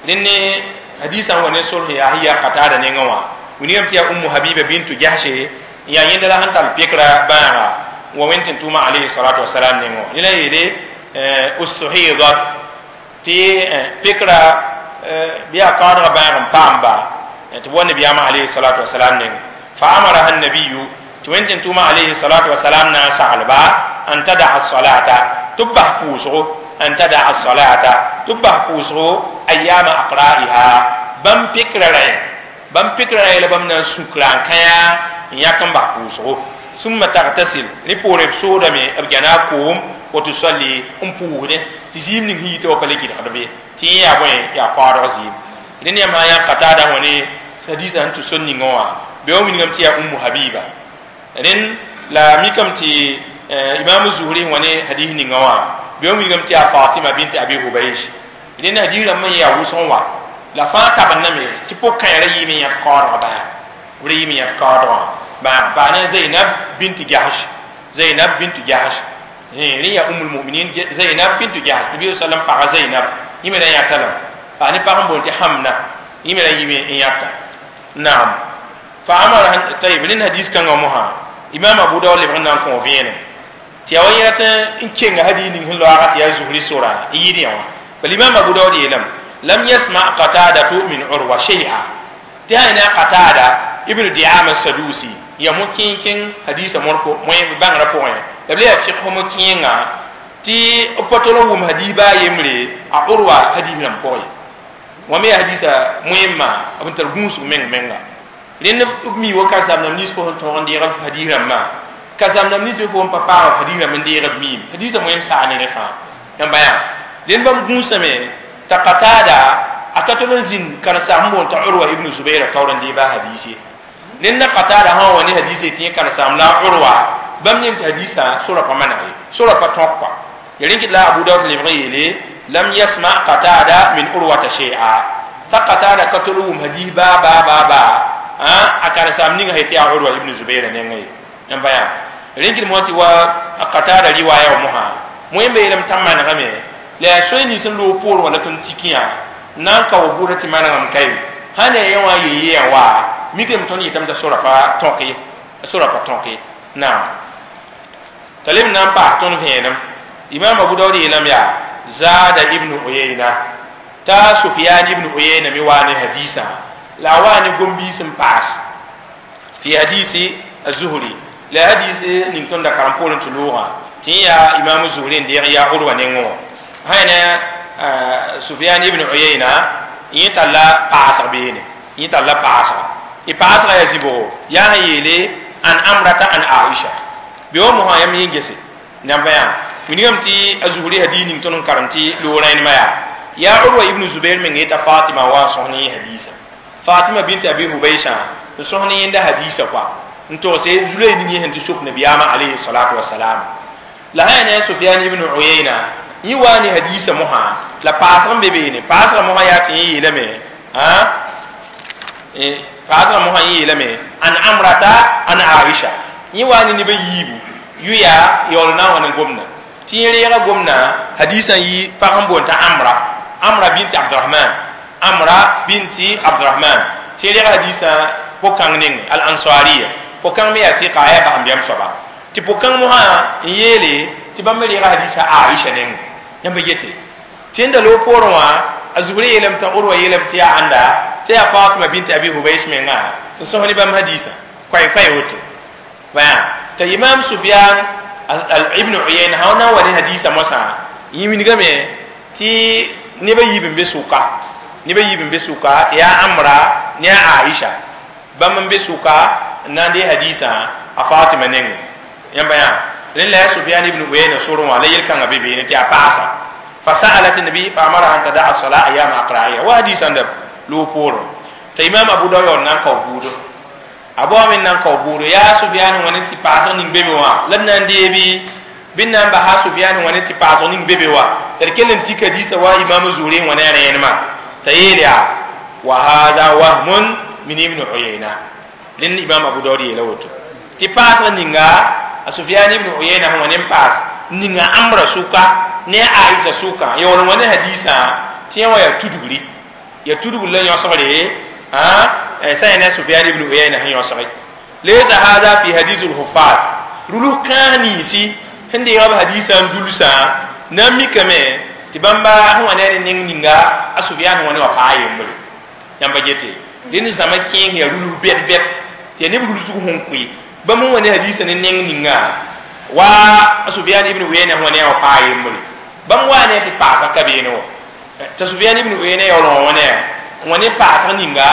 Rẽnd ne hadisã n wa ne solsẽ yaa sẽn yaa Qatada nengẽ wã wilgame tɩ yaa Ummu Habiba bintu Jahshe n yaa yẽnda la sẽn tall pekra bãaga n wa wẽnd tɩ n tʋʋma alayhi salatu wasalam nengẽ wã. Rẽ la yeele usuhidat tɩ pekra bɩ yaa kaoodgã bãag n paamba tɩ b wa nabiyaamã alayhi salatu wasalam nengẽ fa amaraha nabiyu tɩ wẽnd tɩ n tʋʋma alayhi salatu wasalam na n saglba an tadaa salata tɩ b bas pʋʋsgo an tadaa salata tɩ b bas pʋʋsgo ayama aqra'iha bãmb pekra rã bãmb pekra rã la bãmb na n sũkra n kãya n yãk n bas pʋʋsgo summa tagtasil rẽ poore b soodame b gãna a koom wa tusalli n pʋʋsdẽ tɩ zɩɩm ning sẽn yita wa pa le gɩdgd be tɩ yẽ yaa bõe yaa kaoodg zɩɩm. Rẽnd yãmb sã n yã Qatada wã ne hadisã sẽn tʋ sor ningã wã bɩ wa wilgame tɩ yaa Ummu Habiba. Rẽnd la mikame tɩ Imam Zuhri wã ne hadis ningã wã bɩ wa wilgame tɩ yaa Fatima bint Abi Hubaysh. Rẽnd hadis rãmb n yaa wʋsg wã la fãa tabendame tɩ pʋg-kãera yɩɩme yãd kaoodgã bãag b ra yɩɩme yãd kaoodgã bãag paa ne Zainab bint Jahsh, Zainab bint Jahsh rẽ yaa Ummul Muminin Zainab bint Jahsh Nabi sallam paga Zainab yẽ me ra yãta lame paa ne pag n boond tɩ Hamna yẽ me ra yɩme n yãta. Naam, fa amara tayib rẽnd hadis kãngã mosã Imam Abu Daud lebg n na n kõ vẽenem tɩ yaa wa yẽ rat n kenga hadis ning sẽn loaga tɩ yaa Zuhri sora n yɩɩd yã wã bal Imam Abu Daud yeelame lam yasma Qatadatu min Urwa shay'a tɩ sã ne a Qatada ibn Diama Sadusi ya mo kẽnkẽng hadisa mõr bãngrã pʋgẽ la b le yaa fiqh mo kẽenga tɩ b pa tol n wʋm hadis baa yembre a Urwa hadis rãmb pʋgẽ wã me yaa hadisa moẽmma b n tar gũusg meng menga. Rẽnd b mi wa karen-saam rãmb nins fo sẽn tõog n deeg hadis rãmbã karen-saam rãmb nins me fo n pa paag hadis rãmb n deeg b miim hadisã moẽm saa ne rẽ fãa yãmba yaa rẽnd bãmb gũusame t'a Qatada a ka tol n zĩnd karen-saam sẽn boond t'a Urwa ibn Zubair taoor n deeb a hadis ye rẽnd na Qatada sã n wa ne hadis ye tɩ yẽ karen-saam la a Urwa bãmb yem tɩ hadisã sora pa maneg ye sora pa tõk kɔa ya rẽn kɩt la Abu Dawud lebg n yeele lam yasma Qatada min Urwata shay'a t'a Qatada ka tol n wʋm hadis baa baa baa baa a karen-saam ninga sẽn tɩ yaa Urwa ibn Zubair nengã ye yãmba yaa rẽn kɩt mosã tɩ wa a Qatada riwaaya wã mosã moẽmbe yeelame t'a manegame la yaa soe nins n loog poorẽ wã la tõnd tikẽ yã na n ka wa bʋʋda tɩ manegame ka ye sã ne a yẽ wã a yee yã wa mikame tõnd yetame t'a sora pa tõk ye a sora pa tõk ye naam t'a leb n na n paas tõnd vẽenem Imam Abu Dawud yeelame yaa Zada ibn Uyayna t'a Sufyan ibn Uyayna me waa ne hadisã la a waa ne gom-biis n paas fi hadisi az-Zuhri la hadis ning tõnd da karem poorẽ tɩ loogã tɩ yẽ yaa Imam Zuhri n deeg yaa Urwa nengẽ wã sã ne Sufyan ibn Uyayna yẽ talla paasg beene yẽ talla paasga y paasga yaa zĩbgo yaa sẽn yeele an Amrata an Aisha bɩ wa mosã yãmb yẽ gese namba yaa wilgame tɩ a Zuhri hadis ning tõnd n karem tɩ loog rẽnemã yaa yaa Urwa ibn Zubair meng yeta Fatima wa n sõs ne yẽ hadisa Fatima bint Abi Hubaysha n sõs ne yẽnda hadisa kɔa n togse zulay ning yẽ sẽn tɩ sok nabiyaamã alayhi salatu wasalam la sã yaa ne Sufyan ibn Uyayna yẽ waa ne hadisa mosã la paasg n be beene paasga mosã yaa tɩ yẽ yeelame paasga mosã yẽ yeelame an Amrata an Aisha yẽ waa ne neb a yiibu yʋ yaa yaool na n wa ne gomdã tɩ yẽ reega gomdã hadisã yɩ pag n boond t'a Amra Amra binti Abdurahman Amra binti Abdurahman tɩ reega hadisã po-kãng nengẽ al-Ansariya po-kãng me yaa fɩka a yaa basẽmbiam soaba tɩ po-kãng mosã n yeele tɩ bãmb me reega hadisã Aisha nengẽ yãmb yete tɩ yẽnda loog poorẽ wã a Zuhri yeelame t'a Urwa yeelame tɩ yaa ãnda tɩ yaa Fatima binti Abi Hubays menga n sõs ne bãmb hadisã koɛɛ-koɛɛ woto t'a Imam Sufyan ibn Uyayna sã na n wa ne hadisã mosã yẽ wilgame tɩ neb a yiib n be sʋka neb a yiib n be sʋka tɩ yaa Amra ne a Aisha bãmb n be sʋka n na n dee hadisã a Fatima nengẽ yãmba yaa rẽnd la yaa Sufyan ibn Uyayna sorẽ wã la yel-kãngã be beene tɩ yaa paasa فسألت النبي فأمرها أن تدع الصلاة أيام أقرائها وحديث عند لو بورو تا إمام أبو داود نان كاو بودو أبو من نان كاو بودو يا سفيان ونتي باسن نين بيبي وا لن نان ديبي بين نان بها سفيان ونتي باسن نين بيبي وا تركلن تي حديث وا إمام زوري وني رينما تيليا وهذا وهم من ابن عيينة لن إمام أبو داود يلوتو تي باسن نينغا سفيان ابن عيينة هو نين باس ninga Amra suka ne Aisha suka ya wani wani hadisa tɩ yẽ wã yaa tudgri ya tudgr la yõsgre sã ya ne Sufyan ibn Uyayna sẽn yõsge laysa hada fi hadis al-huffaz rulu kãas ninsi sẽn deega b hadisã n dulsã na n mikame tɩ bãmba sẽn wa ne a ne neng ninga a Sufyan sẽn wa ne wã paa yembre yãmba gete dẽnd zãma kẽeng yaa rulus bɛd-bɛd tɩ yaa neb rulsg sẽn koe bãmb sẽn wa ne hadisã ne neng ninga wa Sufyan ibn Uyayna sẽn wa ne a wã paa yembre bãmb waa ne tɩ paasg ka beene wã t'a Sufyan ibn Uyayna yaool wã ne wã ne paasg ninga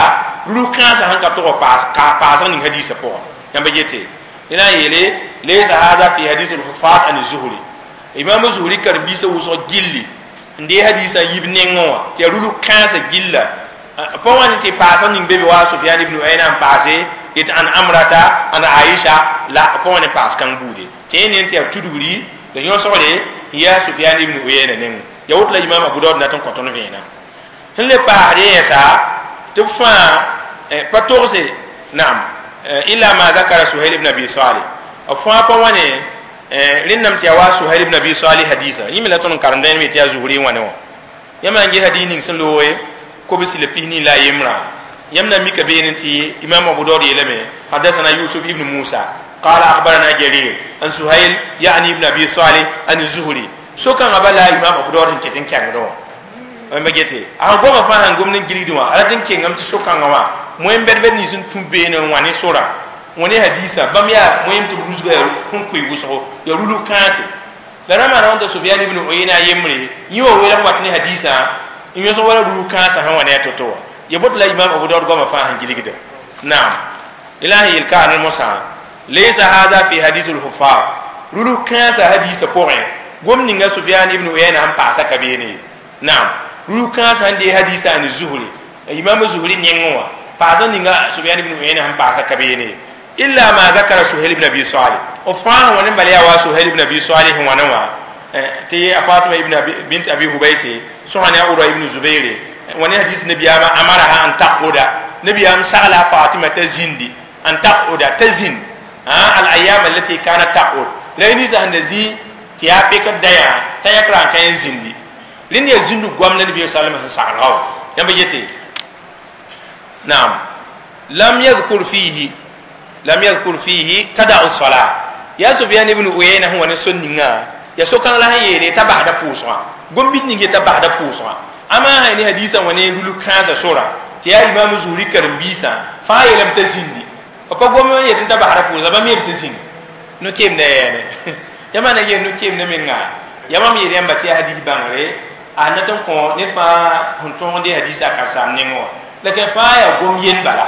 rulus kãensã sẽn ka tog paasg ning hadisã pʋgã yãmba yete dẽna n yeele laysa hada fi hadis al-huffaz an az-Zuhri Imam Zuhri karen-biisã wʋsg gilli n dee hadisã yib nengẽ wã tɩ yaa rulus kãensã gilla pa wã ne tɩ paasg ning be be wa Sufyan ibn Uyayna n paase yet an Amrata an Aisha la pa wã ne paas kãng buude tɩ yẽ ne tɩ yaa tudgri la yõsgre ya Sufyan ibn Uyayna nengẽ ya woto la Imam Abu Dawud na tɩ n kõ tõnd vẽenam sẽn le paasd yɛɛsa tɩ b fãa pa togse naam illa ma zakara Suhail ibn Abi Salih b fãa pa wã ne rẽndame tɩ yaa wa Suhail ibn Abi Salih hadisa yẽ me la tõnd n karemdã me tɩ yaa Zuhri wã ne wã yãmb na n ges hadis ning sẽn looge kobsi la pis-nii la a yembrã yãmb na n mika beene tɩ Imam Abu Dawud yeelame hadasana Yusuf ibn Musa قال أخبرنا جرير عن سهيل يعني ابن أبي صالح عن الزهري سوكان أبلا إمام أبو داود كتن كانوا ما جيتي أنا قوم فاهم قوم نجري دوا على تن كينغم تسوكان ما مهم بير بير نيسون تبين واني سورا واني حديثة باميا مهم تبروز غير هم كوي وسو يرولو كانسي لما أنا أنت سفيان ابن عيينة يمري يو ولا واتني حديثة إن يسوع ولا رولو كانسي هم واني تطور يبوت لا إمام أبو داود قوم فاهم جري كده Naam ilahi yel ka mosa laysa hadha fi hadith al-huffaz rulu kansa hadisa pʋgẽ gom ninga Sufyan ibn Uyayna sẽn paasa ka beene. Naam rulu kãensã n dee hadisa ne Zuhri Imam Zuhri nengẽ wã paasa ninga Sufyan ibn Uyayna sẽn paasa ka beene illa ma zakara Suhayl ibn Abi Salih o fãa wã ne bala yaa wa Suhayl ibn Abi Salih wãna wã tɩ a Fatima ibn Abi bint Abi Hubaysi sõsa ne a Urwa ibn Zubayr wã ne hadis nabiyaamã amaraha an taquda nabiyaam sagla Fatima t'a zĩndi an taquda t'a zĩnd al ayyam allati kanat taqud la yẽ ninsã sẽn da zĩ tɩ yaa pekd dayã t'a yãkra n ka yẽ zĩndi rẽnd yaa zĩnd goam la nabiya sallam sẽn saglga wã yãmb yete naam lam yadhkur fihi lam yadhkur fihi tada'u salat ya Sufyan ibn Uyayna sẽn wa ne sor ninga ya so-kãng la sẽn yeele t'a basda pʋʋsgã gom-bid ning ye t'a basda pʋʋsgã ama sã ne hadisã wã ne rulu kãensã sora tɩ yaa Imam Zuhri karen-biisã fãa yeelame t'a zĩndi b pa gom n yet t'a basda pʋʋsgã bãmb yeelame t'a zĩnd no-keemda yɛɛne yãmb na yeel no-keemda menga yãmb yeel yãmba tɩ yaa hadis bãngre a nat n kõ ned fãa sẽn tõog de hadisa a karsaam nengẽ wã la kẽ fãa yaa gom yend bala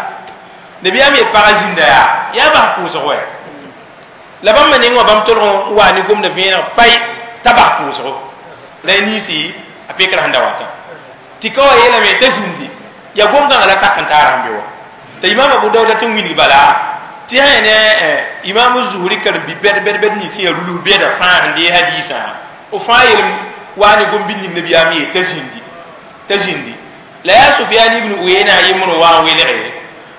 nabiyaam yet pagã zĩnda yaa yaa bas pʋʋsg wɛ la bãmba nengẽ wã bãmb tolg n wa ne gomda vẽeneg pai t'a bas pʋʋsgo la y ninsi a pekra sẽn da watã tɩ ka wa yeelame t'a zĩndi yaa gom-kãngã la tak n taara sẽn be wa t'a Imam Abu Dawuda tɩ n wilg bala tɩ sã ne Imam Zuhri karen-bi bɛd bɛd bɛd nins yaa rulus bɛda fãa sẽn dee hadisã f fãa yeelem wa ne gom-bid ning nabiyaam yeel t'a zĩndi t'a zĩndi la yaa Sufyan ibn Uyayna a yembr n wa n welge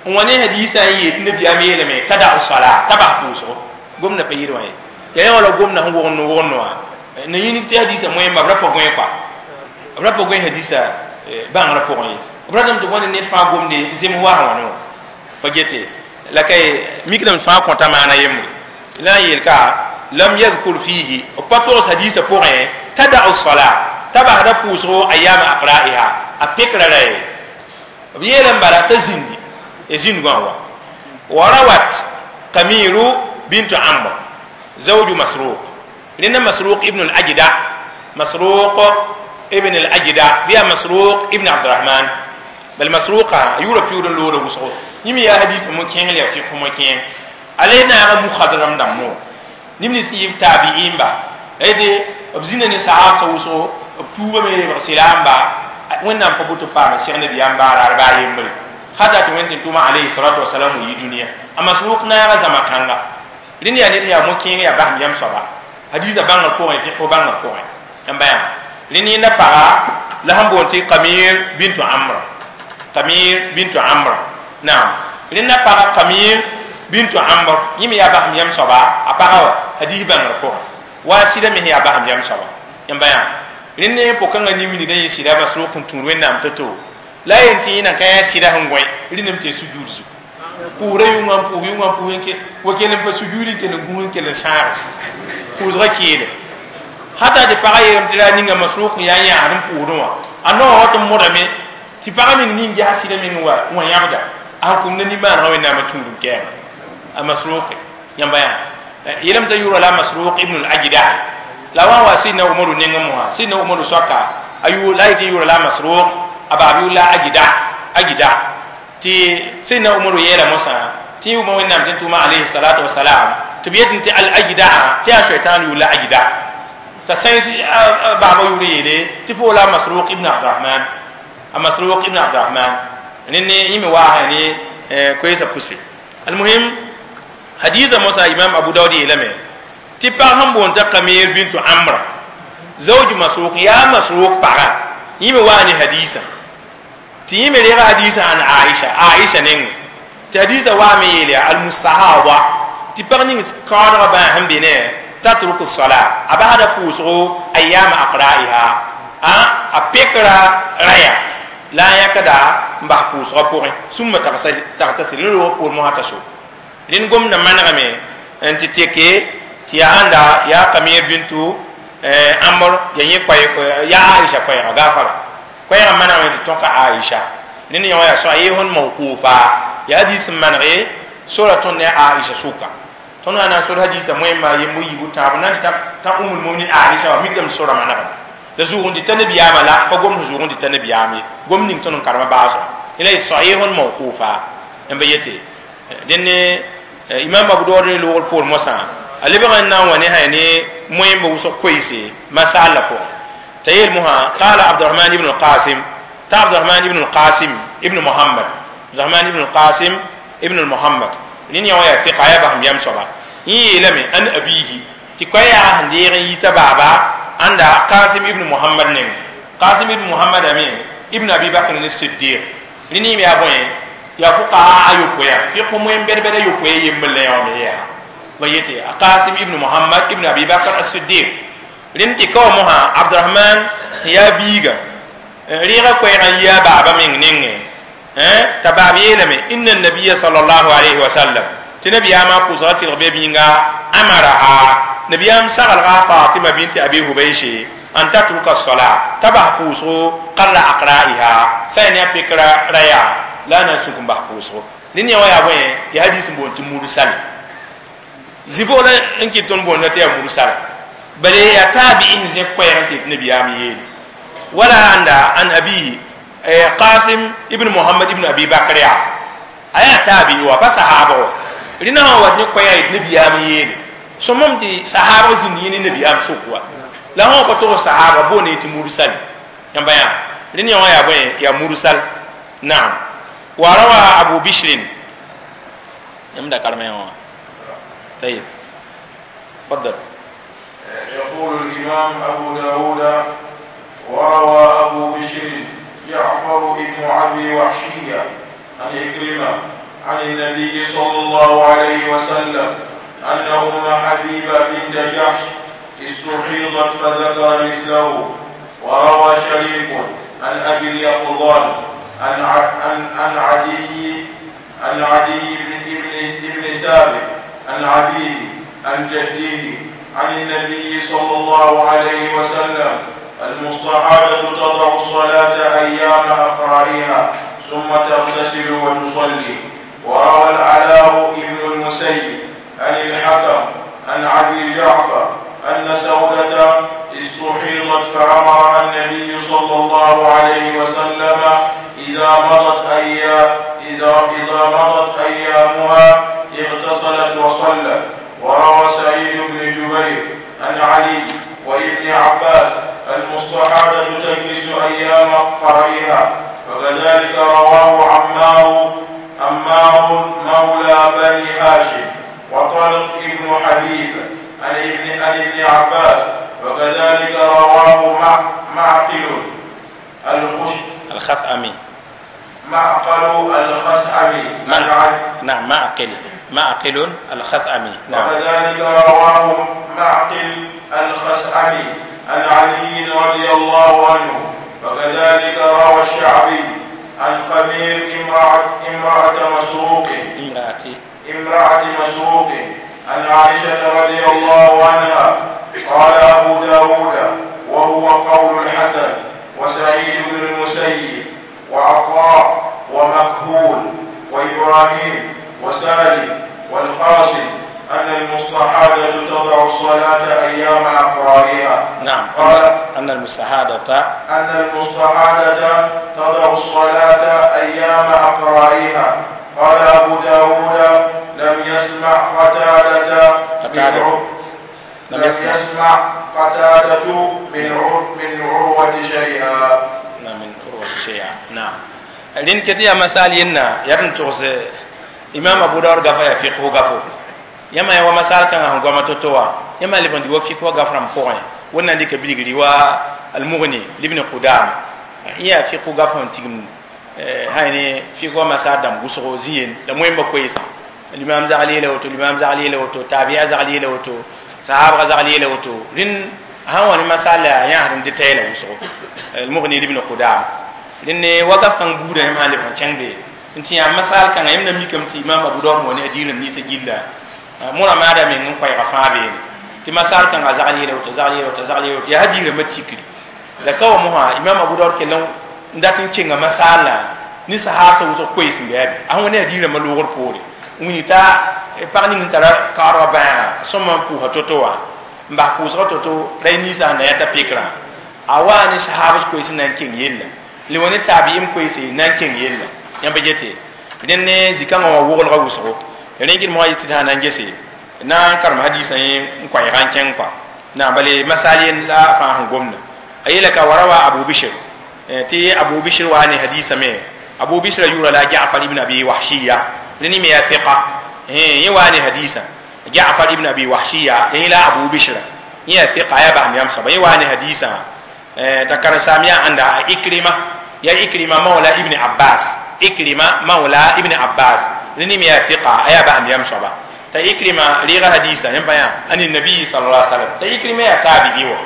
n wa ne hadisã n yeel tɩ nabiyaam yeelame tada'u salat t'a bas pʋʋsgo gomda pa yɩl wã ye yaa yã wala gomda sẽn wogend n wogend wã na yĩnig tɩ hadisã moẽmba b ra pa gõe kɔa b ra pa gõe hadisã bãngrã pʋgẽ ye b ratame tɩ wãne ned fãa gomde zems wa sẽn wãne wã pa gete la kay mikdame fãa kõta maana yembre la n yeel ka lam yadhkur fihi b pa togs hadisã pʋgẽ tada'u salat t'a basda pʋʋsgo ayama aqra'iha a pekra ra ye b yeelame bala t'a zĩndi ya zĩndgã wa wa rawat Qamiru bint Amr zawju Masruq rẽnda Masruq ibn al-Ajda Masruq ibn al-Ajda bɩ yaa Masruq ibn Abdurahman bal Masruqa a yʋʋra piuud n loogda wʋsgo yĩm yaa hadisã mo-kẽeng la yaa fiq mo-kẽeng ala y naaga mukhadram dãmbo neb nins n yɩ taabi'imba la yetɩ b zĩnda ne sahabsã wʋsgo b tuubame b sɩlaamba wẽnnaam pa boto paam sẽg nabiyaam baaraar baa yembre hata tɩ wẽnd tɩ tʋma alayhi salatu wasalam n yi dũniyã a Masruq naaga zãma kãnga rẽnd yaa ned yaa mo-kẽeng yaa basem yam soaba hadisã bãngr pʋgẽ fiq bãngr pʋgẽ yãmba yaa rẽnd yẽnda paga la sẽn boond tɩ Qamir bintu Amr Qamir bintu Amr naam rẽnda paga Qamir bintu Amr yẽ me yaa basem yam soaba a paga wa hadis bãngr pʋgẽ wa sɩda me yaa basem yam soaba yãmba yaa rẽnd ne pʋg-kãngã nin-wilgdã yẽ sɩda Masruq n tũud wẽnnaam to-to la yen tɩ yẽna ka yaa sɩda sẽn gõe rẽndame tɩ sujuud zugu pʋʋsra yʋngã n pʋʋs yʋngã n pʋʋs n ke wa kell n pa sujuud n kell n gũus n kell n sãage pʋʋsgã keele hata tɩ pagã yeelame tɩ ra ninga Masruq n yaa yãasd n pʋʋsdẽ wã a noog tɩ modame tɩ pagã meng nin ges sɩda meng wã yãbda a sẽn kũmda nimbãanegã wẽnnaamã tũud n kɛɛma a Masruq yãmba yaa yeelame t'a yʋʋra la Masruq ibn al-Ajda la wa wa sidna Umaru nengẽ mosã sidna Umaru soaka a yʋʋr la a yetɩ yʋʋra la Masruq a baab yʋʋr la Ajda Ajda tɩ sidna Umaru yeela mosã tɩ yʋʋma wẽnnaam tɩ n tʋma alayhi salatu wasalam tɩ b yetɩ tɩ al-Ajda tɩ yaa shaitan yʋʋr la Ajda t'a sãens baaba yʋʋr yeele tɩ fo la Masruq ibn Abdurahman a Masruq ibn Abdurahman rẽnd yẽ me waasã ne koeesã pʋse almuhim hadisa mosã Imam Abu Dawud yeelame tɩ pag sẽn boond t'a Qamir bintu Amr zawj Masruq yaa Masruq paga yẽ me waa ne hadisã tɩ yẽ me rega hadisã an Aisha Aisha nengẽ tɩ hadisã waame yeel yaa almustahaba tɩ pag ning kaoodgã bãa sẽn be ne tatruku salat a basda pʋʋsgo ayama aqra'iha a pekra raya la a yãkda n bas pʋʋsgã pʋgẽ sũmma tagtasil rẽ roog poor mosã t'a so rẽnd gomdã manegame n tɩ teke tɩ yaa ãnda yaa Qamir bintu Amr ya yẽ yaa Aisha koɛɛga gaafara koɛɛgã manegame tɩ tõka Aisha rẽnd yõ yaa sahihun mawqufa yaa hadis n manege sora tõnd ne Aisha sʋka tõnd na n sor hadisã moẽmba yemb yiibu tãab na n t'a Ummul Muminin Aisha wa mikdame sora manegame la zʋʋg n dɩta nabiyaamã la pa gomd zʋʋg n dɩta nabiyaam ye gom ning tõnd n karema baasgo la yet sahihun mawqufa Yãmb yete dẽn imam Abu Dawud ne loogr poor mosã a lebg n na n wa ne sã ne moẽmba wʋsg koeese masala pʋgẽ t'a yeel mosã qala Abdurahman ibn al-Qasim ta Abdurahman ibn al-Qasim ibn Muhammad Abdurahman ibn al-Qasim ibn Muhammad rẽnd yã wã yaa fiqa yaa basem yam soaba yẽ yeelame an abihi tɩ koa yaa sẽn deeg n yita baaba ãnda Qasim ibn Muhammad nengẽ Qasim ibn Muhammad ame ibn Abi Bakr as-Siddiq rẽnd yẽ me yaa bõe yaa fuqaha ayopɔe fiqh moẽm bɛd-bɛd ayopɔe yembr la yã wã me yaa ba yete Qasim ibn Muhammad ibn Abi Bakr as-Siddiq rẽnd tɩ ka wa mosã Abdurahman yaa biiga rẽega koɛɛgã n yi a baaba meng nengẽ t'a baab yeelame inna nabiya sallallahu alayhi wa sallam tɩ nabiyaamã pʋʋsga tɩlg be yĩnga amaraha nabiyaam saglga Fatima binti Abi Hubaysh an tatruka as-salat t'a bas pʋʋsgo qarra aqra'iha sã yaa ne a pekra raya la na n sũk n bas pʋʋsgo rẽnd yã wã yaa bõe yaa hadis n boond tɩ mursal zĩ-boola n kɩt tõnd boonda tɩ yaa mursal bala yaa taabi'i sẽn zẽk koɛɛg n tɩ yetɩ nabiyaam yeele wala anda an abihi Qasim ibn Muhammad ibn Abi Bakr yaa a yaa taabi'i wa pa sahaba wa rẽna sã n wat ne koɛɛg yetɩ nabiyaam yeele sõmam tɩ sahaba zĩnd yẽ ne nabiyaam sʋk wa la sã pa tog sahaba boonde tɩ mursal yãmba yã rẽnd yã wã yaa bõe yaa mursal naam wa rawa Abu Bishr yãmb da karem yã wã طيب تفضل. يقول الإمام أبو داود وروى أبو بشر جعفر بن أبي وحشية عن عكرمة عن النبي صلى الله عليه وسلم أن أم حبيبة بنت جحش استحيضت فذكر مثله. وروى شريك عن أبي اليقظان عن عدي بن ثابت عن أبيه عن جده عن النبي صلى الله عليه وسلم المستحاضة تضع الصلاة أيام أقرائها ثم تغتسل وتصلي. وروى العلاء بن المسيب عن الحكم عن أبي جعفر أن سودة استحيضت فأمر النبي صلى الله عليه وسلم إذا مضت أيامها اغتسلت وصلت. وروى سعيد بن جبير عن علي وابن عباس المستحاضة تجلس أيام قرئها. وكذلك رواه عمار مولى بني هاشم وطلق ابن حبيب عن ابن عباس. وكذلك رواه معقل الخثعمي نعم معقل الخثعمي نعم. وكذلك رواه معقل الخثعمي عن علي رضي الله عنه. وكذلك روى الشعبي عن قمير امرأة مسروق عن عائشة رضي الله عنها. قال أبو داود وهو قول الحسن وسعيد بن المسيب وعطاء ومكهول وإبراهيم وسالم والقاسم أن المستحاضة تضع الصلاة أيام أقرائها. نعم. قال أن المستحاضة تضع الصلاة أيام أقرائها. قال أبو داود لم يسمع قتادة من عروة شيئا. نعم من عروة شيئا. نعم. لين كتير مسألة ينا يرن توس إمام أبو داود غفا يفقه غفو yãmb ya wa masal kãngã sẽn goama to-to wã yãmb leb n dɩ wa fik wa gaf rãmb pʋgẽ wẽnnaam dɩka bilgri wa al-Mughni libn Qudama yẽ yaa fik gaf sẽn tigim sã ne fik wa masal dãmb wʋsgo zĩ-yen la moẽmba koeesã limam zagl yeela woto limam zagl yeela woto tabi'a zagl yeela woto sahabga zagl yeela woto rẽnd sãn wa ne masal la yãsd n dɩ tɛɛla wʋsgo al-Mughni libn Qudama rẽnd ne wa gaf kãng buudã yãmb sãn leb n kẽng be n tɩ yã masal kãngã yãmb na mikame tɩ imam Abu Dawud wa ne a diilem ninsã gilla mora maada meng n koɛɛga fãa beene tɩ masal kãngã zagl yeela woto zagl yeela woto zagl yeela woto yaa hadiirãmbã tikri la ka wa mosã imam Abu Dawud kell n dat n kenga masala ne sahab sã wʋsg koees n bɩ a be a sẽn wa ne hadiirãmbã loogr poore n wĩni t'a pag ning n tara kaoodgã bãaga sõma n pʋʋsa to-to wã n bas pʋʋsgã to-to ra ninsã sẽn na yã t'a pekrã a waa ne sahab koees n na n keng yella le wa ne taabiim koeese n na n keng yella yãmb yete Dẽnd zikãngã wã woglga wʋsgo rẽ gɩd mosã yetɩ d sã na n gese na n karem hadisã yẽ n koɛɛga n kẽng kɔa na bale masal yen la fãa sẽn gomda a yeela ka warawa Abu Bishr tɩ Abu Bishr wa ne hadisã me Abu Bishr yʋʋra la Ja'far ibn Abi Wahshiya rẽ me ya fiqa yẽ wa ne hadisã Ja'far ibn Abi Wahshiya yẽ la Abu Bishr yẽ ya fiqa ya basam yam soaba yẽ wa ne hadisã t'a karen-saam yaa ãnda Ikrima ya Ikrima mawla ibn Abbas Ikrima mawla ibn Abbas rẽ me ya fiqa a yaa basam yam soaba ta Ikrima reega hadisa yẽm pa yã ani nabi sallallahu alaihi wasallam ta Ikrima ya tabi'i wa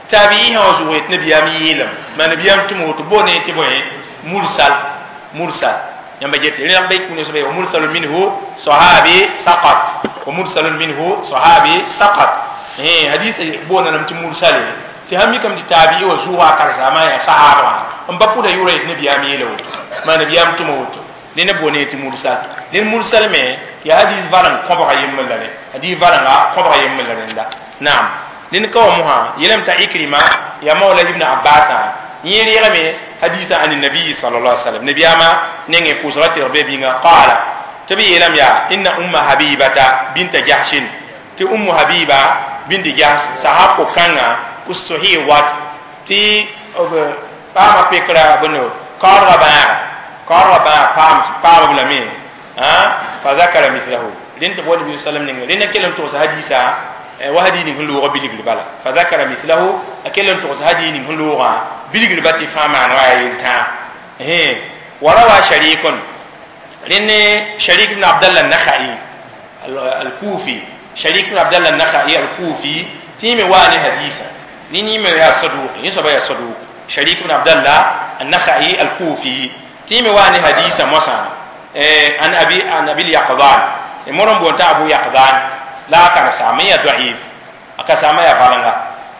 tabi'i hã zugo yet nabiyam yeelame ma nabiyam tʋm woto bo ne tɩ bõe mursal mursal yãmba get rẽna b kũuna soaba wa mursalun minhu sahabi saqat wa mursalun minhu sahabi saqat hadisa boona lame tɩ mursale tɩ sãn mikame tɩ tabi'i wa zʋʋga a karsaamã yaa sahaba wã n pa pʋda yʋʋra yet nabiyam yeela woto ma nabiyam tʋma woto ned boone tɩ mursal ned mursal me ya hadis valang kõbga yembr la rẽ hadis valanga kõbga yembr la rẽnda naam ned ka wa mosã yeelame t'a Ikrima ya mawla ibn Abbasã yẽ reegame hadisa ani nabi sallallahu alaihi wasallam nabiyama nengẽ pʋʋsga tɩrg be bĩnga qaala tɩ b yeelame yaa inna umma Habibata binta Jahshin tɩ Ummu Habiba bint Jahsh sahab ko-kãngã ustuhiwat tɩ paama pekra bõndo kaoodgã bãaga kaoodgã bãag paamb lame fa zakara mithlahu rẽnd tɩ bao nabi sallam ninga rẽnda kell n togs hadisa wa hadi ning sẽn loogã bilgr bala fa zakara mithlahu a kell n togs hadi ning sẽn loogã bilgr ba tɩ fãa maan wa yaa yel-tãa wa rawa sharikun rẽnd Sharik ibn Abdallah an-Nakhai al-Kufi Sharik ibn Abdallah an-Nakhai al-Kufi tɩ yẽ me waa ne hadisa ne yẽ me yaa saduq yẽ soaba yaa saduq Sharik ibn Abdallah an-Nakhai al-Kufi tɩ yẽ me waa ne hadisa moasã an abi an Abil Yaqdan morom bonta Abu Yaqdan la karsaam ya da'if akasama ya valanga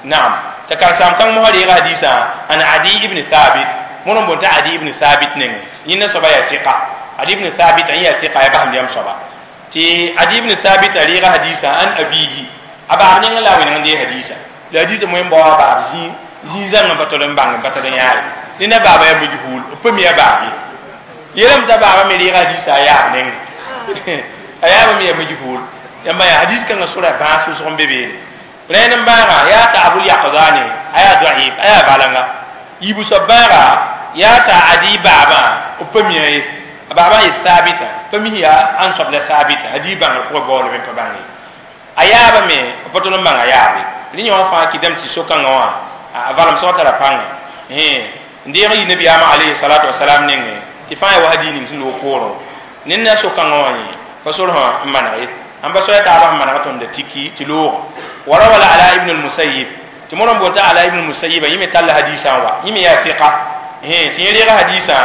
naam ta karsaam kan mo reega hadisa an Adi ibn Thabit morom bonta Adi ibn Thabit nenge yĩnda soaba ya fiqa Adi ibn Thabit an ya fiqa ya basam yam soaba tɩ Adi ibn Thabit a reega hadisa an abihi a baab neng la wẽneng dee hadisa la hadisa moẽ n bao a baab zĩig zãng n pa tol n bãng n pa tar n yaare nenda baaba ya majhul b pa mi a baab ye yeelame t'a baaba me reega hadisa a yaab nenge a yaabame ya majhul yãmba yaa hadis kãngã sora bãas wʋsg n be beene rẽnd n bãaga yaa t'a Abul Yaqdane a yaa da'if a yaa balanga yiibu soab bãaga yaa t'a Adi baabã b pa mia ye a baabã yet Thabita pa mis yaa ãn soab la Thabita hadis bãngr pʋgẽ baoolame n pa bãng ye a yaabame b pa tol n bãng a yaabe rẽ yã wã fãa kɩdame tɩ so-kãngã wã a valemsgã tara pãnga n deeg n yi nabiyaamã alayhi salatu wasalam nengẽ tɩ fãa ya wa hadiis ning sẽn loog poorẽ ned na so-kãngã wã yẽ pa sor sã n maneg ye ãn pa soaya taabã sẽn manega tõnd da tiki tɩ loogã wa rawa la Ala ibn al-Musayyib tɩ modã n boond t'a Ala ibn al-Musayyib yẽ me talla hadisã n wa yẽ me yaa fiqa tɩ yẽ reega hadisã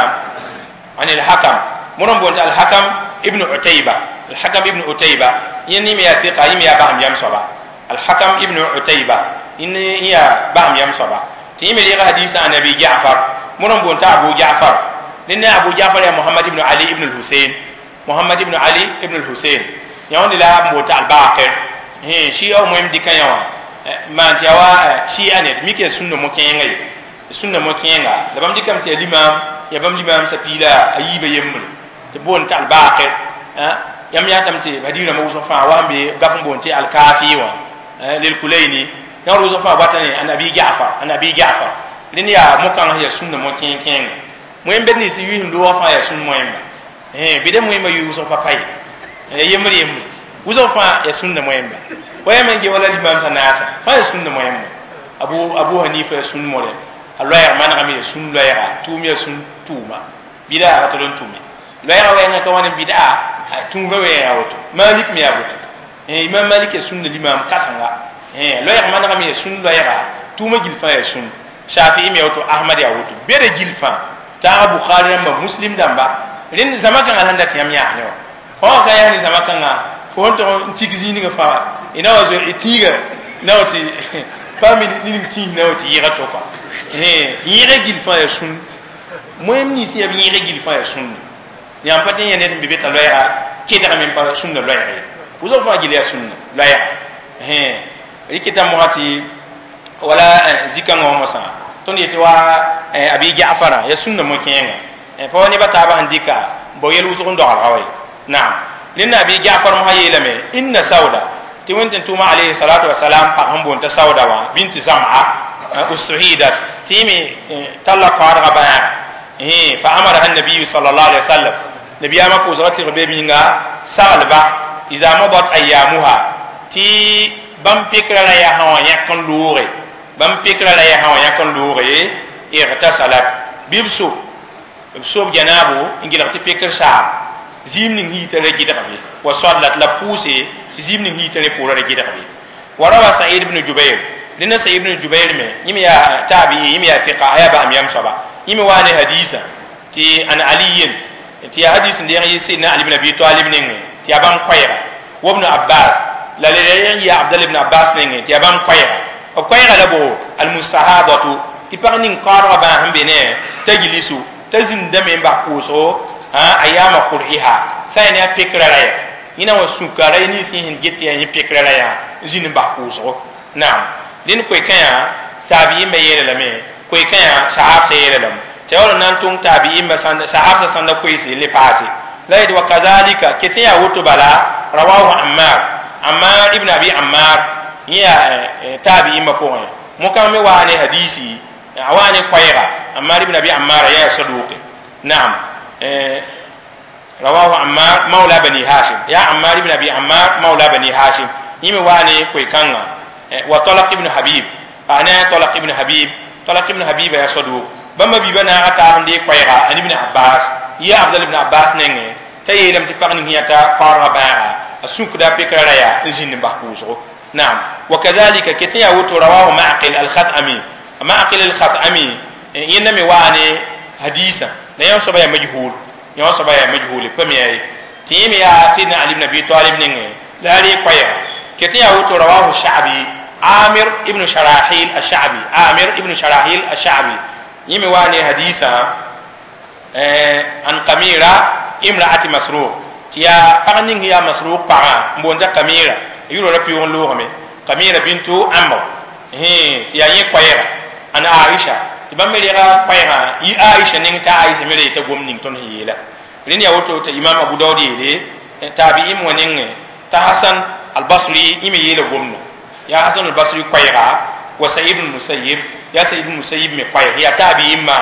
an al-Hakam modã n boond t'a Al-Hakam ibn Utayba Al-Hakam ibn Utayba yẽ me yaa fiqa yẽ me yaa basam yam soaba Al-Hakam ibn Utayba yẽ yaa basam yam soaba tɩ yẽ me reega hadisã an Abi Ja'far modã n boond t'a Abu Ja'far ned ne Abu Ja'far yaa Muhammad ibn Ali ibn al-Husayn Muhammad ibn Ali ibn al-Husayn yãwẽnd la n boond t'a Al-Baqir shia moem dɩka yã wã maan tɩ yaa wa shia ned mik yaa sũnna mo-kẽenga ye sũnna mo-kẽenga la bãmb dɩkame tɩ yaa limam yaa bãmb limam sa piila a yiibã yembre tɩ boond t'a Al-Baqir yãmb yãatame tɩ hadiis rãmbã wʋsg fãa wa sẽn be gaf n boond tɩ Al-Kafi wã lil-Kulayni yãwd wʋsg fãa bata ne an Abi Ja'far an Abi Ja'far rẽnd yaa mo-kãng sẽn yaa sũnna mo-kẽeng-kẽenga moẽm bed nins yʋɩsem loogã fãa yaa sũn moẽmba bɩ da moẽmba yʋɩ wʋsg pa pa ye yembr yembre wʋsg fãa yaa sũnna moẽmba wa yãmb n ge wala limam sã naasa fãa yaa sũnna moẽmba Abu Hanifa yaa sũn more a loɛɛg manegame yaa sũn loɛɛga tʋʋm yaa sũn tʋʋma bɩda a tol n tʋme loɛɛga wɛɛngã ka wãn n bɩda tũuga wɛɛga woto Malik me yaa woto Imam Malik yaa sũnna limam kãsenga loɛɛg manegame yaa sũn loɛɛga tʋʋma gill fãa yaa sũn Shafi'i me yaa woto Ahmad yaa woto beda gill fãa taaga Bukhari rãmba Muslim dãmba rẽnd zãma kãngã sẽn dat yãmb yãas ne wã fo wã ka yaa ne zãma kãngã fo sẽn tog n tik zĩig fãa na wa zoe tĩiga na wa tɩ pa mi ning tĩis na wa tɩ yɩga to kɔa yẽega gill fãa yaa sũn moẽm nins yaa b yẽega gill fãa yaa sũnne yãmb pa tɩ n yaa ned n be be t'a loɛɛga kedgame n pa sũnna loɛɛg ye wʋsg fãa gill yaa sũnna loɛɛga rɩkɩta mosã tɩ wala zĩ-kãngã wã mosã tõnd yetɩ wa Abi Ja'farã yaa sũnna mo-kẽenga pa wa neba taabã sẽn dɩka Bo yel wʋsg n doglga wa naam. Rẽnda Abi Jafar mosã yeelame inna Sauda tɩ Wẽnd tʋʋma alayhi salatu wasalam pag sẽn boond t'a Sauda wã binti Zam'a ustuhidat tɩ yẽ me talla kaoodgã bãaga fa amaraha nabiyu sallallahu alaihi wasallam nabiyama pʋʋsga tɩg be minga saglba iza madat ayamuha tɩ bãmb pekra la yaa sã wã yãk n looge bãmb pekra la yaa sã wã yãk n looge igtasalat bɩ b so b sob janaabo n gɩlg tɩ pekr saam zĩim ning hiita ra gɩdgbe wa sallat la pʋʋse tɩ zĩim ning hiita rẽ pʋʋra ra gɩdgbe wa rawa Sa'id ibn Jubair dẽnda Sa'id ibn Jubair me yẽ me yaa taabii yẽ me yaa fiqa a yaa basem yam soaba yẽ me waa ne hadiisã tɩ an Aliyin tɩ yaa hadis n deeg yɩ Sidna Ali ibn Abi Talib nengẽ tɩ yaa bãmb koɛɛga wa Ibn Abbas la le yẽ yɩ Abdal ibn Abbas nengẽ tɩ yaa bãmb koɛɛga b koɛɛga la bo almustahadatu tɩ pag ning kaoodgã bãas n be ne tajlisu t'a zĩndame n bas pʋʋsgo a yaama qur'iha sã n ne a pekra ra ya yẽna wã sũka ra nins yẽ sẽn get yaa yẽ pekra ra yaa n zĩnd n bas pʋʋsgo naam. Dẽnd koe-kã yaa taabi'imbã yeela lame koe-kã yaa sahabsã yeela lame tɩ ya wall n na n tõng taabi'imbã sahabsã sãnda koeese le paase la yet wa kazalika ket yaa woto bala rawahu Ammar Ammar ibn Abi Ammar yẽ yaa taabi'imbã pʋgẽ mokã me waa ne hadisi a waa ne koɛɛga Ammar ibn Abi Ammar yaa saduqe naam. Rawahu Ammar mawla Bani Hashim ya Ammar ibn Abi Ammar mawla Bani Hashim yẽ me waa ne koe-kãngã wa Talaq ibn Habib ana Talaq ibn Habib Talaq ibn Habib yaa saduq bãmba biibã naaga taab n dee koɛɛga an Ibn Abbas yɩ Abdal ibn Abbas nengẽ t'a yeelame tɩ pag ning yãta kaoodgã bãaga a sũkda pekra ra yaa n zĩnd n bas pʋʋsgo naam. Wa kazalika ket n yaa woto rawahu Ma'qil al-Khathami Ma'qil al-Khathami yẽnda me waa ne hadisã la yã soaba yaa majhul yã soaba yaa majhul pa mi ye tɩ yẽ me yaa Sidna Ali ibn Abi Talib nengẽ la a ree koɛɛga ket n yaa woto rawahu Sha'bi Amir ibn Sharahil al-Sha'bi Amir ibn Sharahil al-Sha'bi yẽ me waa ne hadisã an Kamira imra'ati Masruq tɩ yaa pag ning yaa Masruq pagã n boonda Kamira yʋra ra pɩʋg n loogame Kamira bintu Amr tɩ yaa yẽ koɛɛga an Aisha tɩ bãmb me rega koɛɛgã yɩ Aisha neng t'a Aisha me ra yeta gom ning tõnd sẽn yeela rẽnd yaa woto t'a Imam Abu Daud yeele taabi'im wã nengẽ t'a Hasan al-Basri yẽ me yeela gomda yaa Hasan al-Basri koɛɛga wa Sa'id ibn Musayyib yaa Sa'id ibn Musayyib me koɛɛg yaa taabi'imã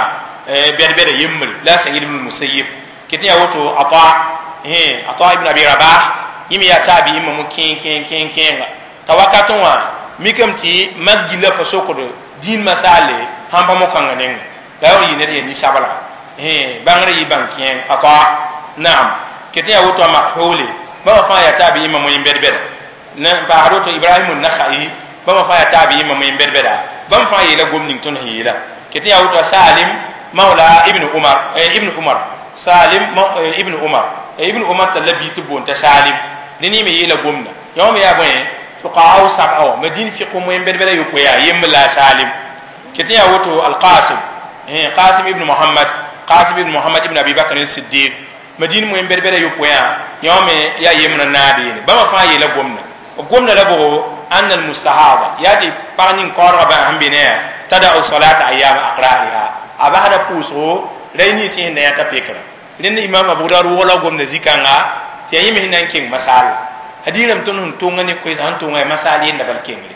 bɛd-bɛda yembre la Sa'id ibn Musayyib ket n yaa woto Ata ibn Abi Rabah yẽ me yaa taabi'imã mo kẽeng kẽeng kẽenga t'a wakat wã mikame tɩ mak gilla pa sokd dĩin masaale sãn pa mo-kãngã nengẽ la ya yɩ ned yaa nin-sablga bãngr yɩ bãng kẽeng Ata naam. Ket n yaa woto a Makhule bãmba fãa yaa taabi'imã mo bɛd-bɛda n paasd woto Ibrahim an-Nakhai bãmba fãa yaa taabi'imã mo bɛd-bɛda bãmb fãa yeela gom ning tõnd sẽn yeela ket n yaa woto a Salim mawla ibn Umar ibn Umar Salim ibn Umar ibn Umar talla bii tɩ boond t'a Salim dẽ ne me yeela gomda yõ me yaa bõe fuqaha sab'a wã Madin fiq moyen bɛd-bɛda yopoe yaa yembr la a Salim ket n yaa woto al-Qasim Qasim ibn Muhammad Qasim ibn Muhammad ibn Abi Bakr al-Siddiq Madin moyen bɛd-bɛda yopoe yã yõ me yaa yembr n naab yeene bãmba fãa yeela gomda b gomda la bʋgo anna al-mustahada yaa tɩ pag ning kaoodgã bãas sẽn be ne yaa tada'u salata ayyama aqra'iha a basda pʋʋsgo ra nins sẽn na yãta pekra rẽnd Imam Abu Dawud wʋgla gomda zĩ-kãnga tɩ yaa yẽ me sẽn na n keng masaal hadiirame tõnd sẽn tõnga ne koeesã sẽn tõnga yaa masaal yenda bal kengre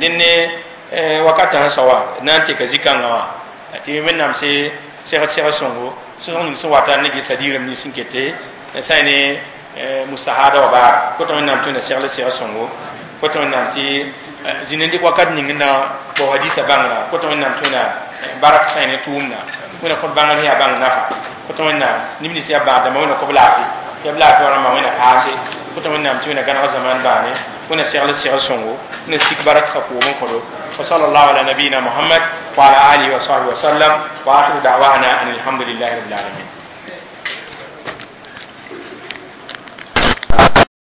rẽnd ne wakatã sẽn sao wã na n teka zĩ-kãngã wã tɩ Wẽnnaam se seg sõngo sõsg ning sẽn wata ne ges hadiirame nins sẽn kete sã n ne mustahada wa baar kota Wẽnnaam tõe na segl seg sõngo kota Wẽnnaam tɩ zĩnd n dɩk wakat ning n na bao hadisa bãngrã kota Wẽnnaam tõe na barak sã n ne tʋʋmda wẽna kõt bãngr sẽn yaa bãng nafa kota Wẽnnaam neb nins yaa bãag dãmbã wẽna kõb laafɩ tɩ b laafɩ wã rãmbã wẽna paase kota Wẽnnaam tɩ wẽna gãneg zaman bãane wẽna segl seg sõngo wẽna sik barak sa koom n kõdo wa sallallahu ala nabiyina Muhammad wa ala alihi wa sahbihi wa sallam wa akhiru da'wana an alhamdulillahi rabbil alamin.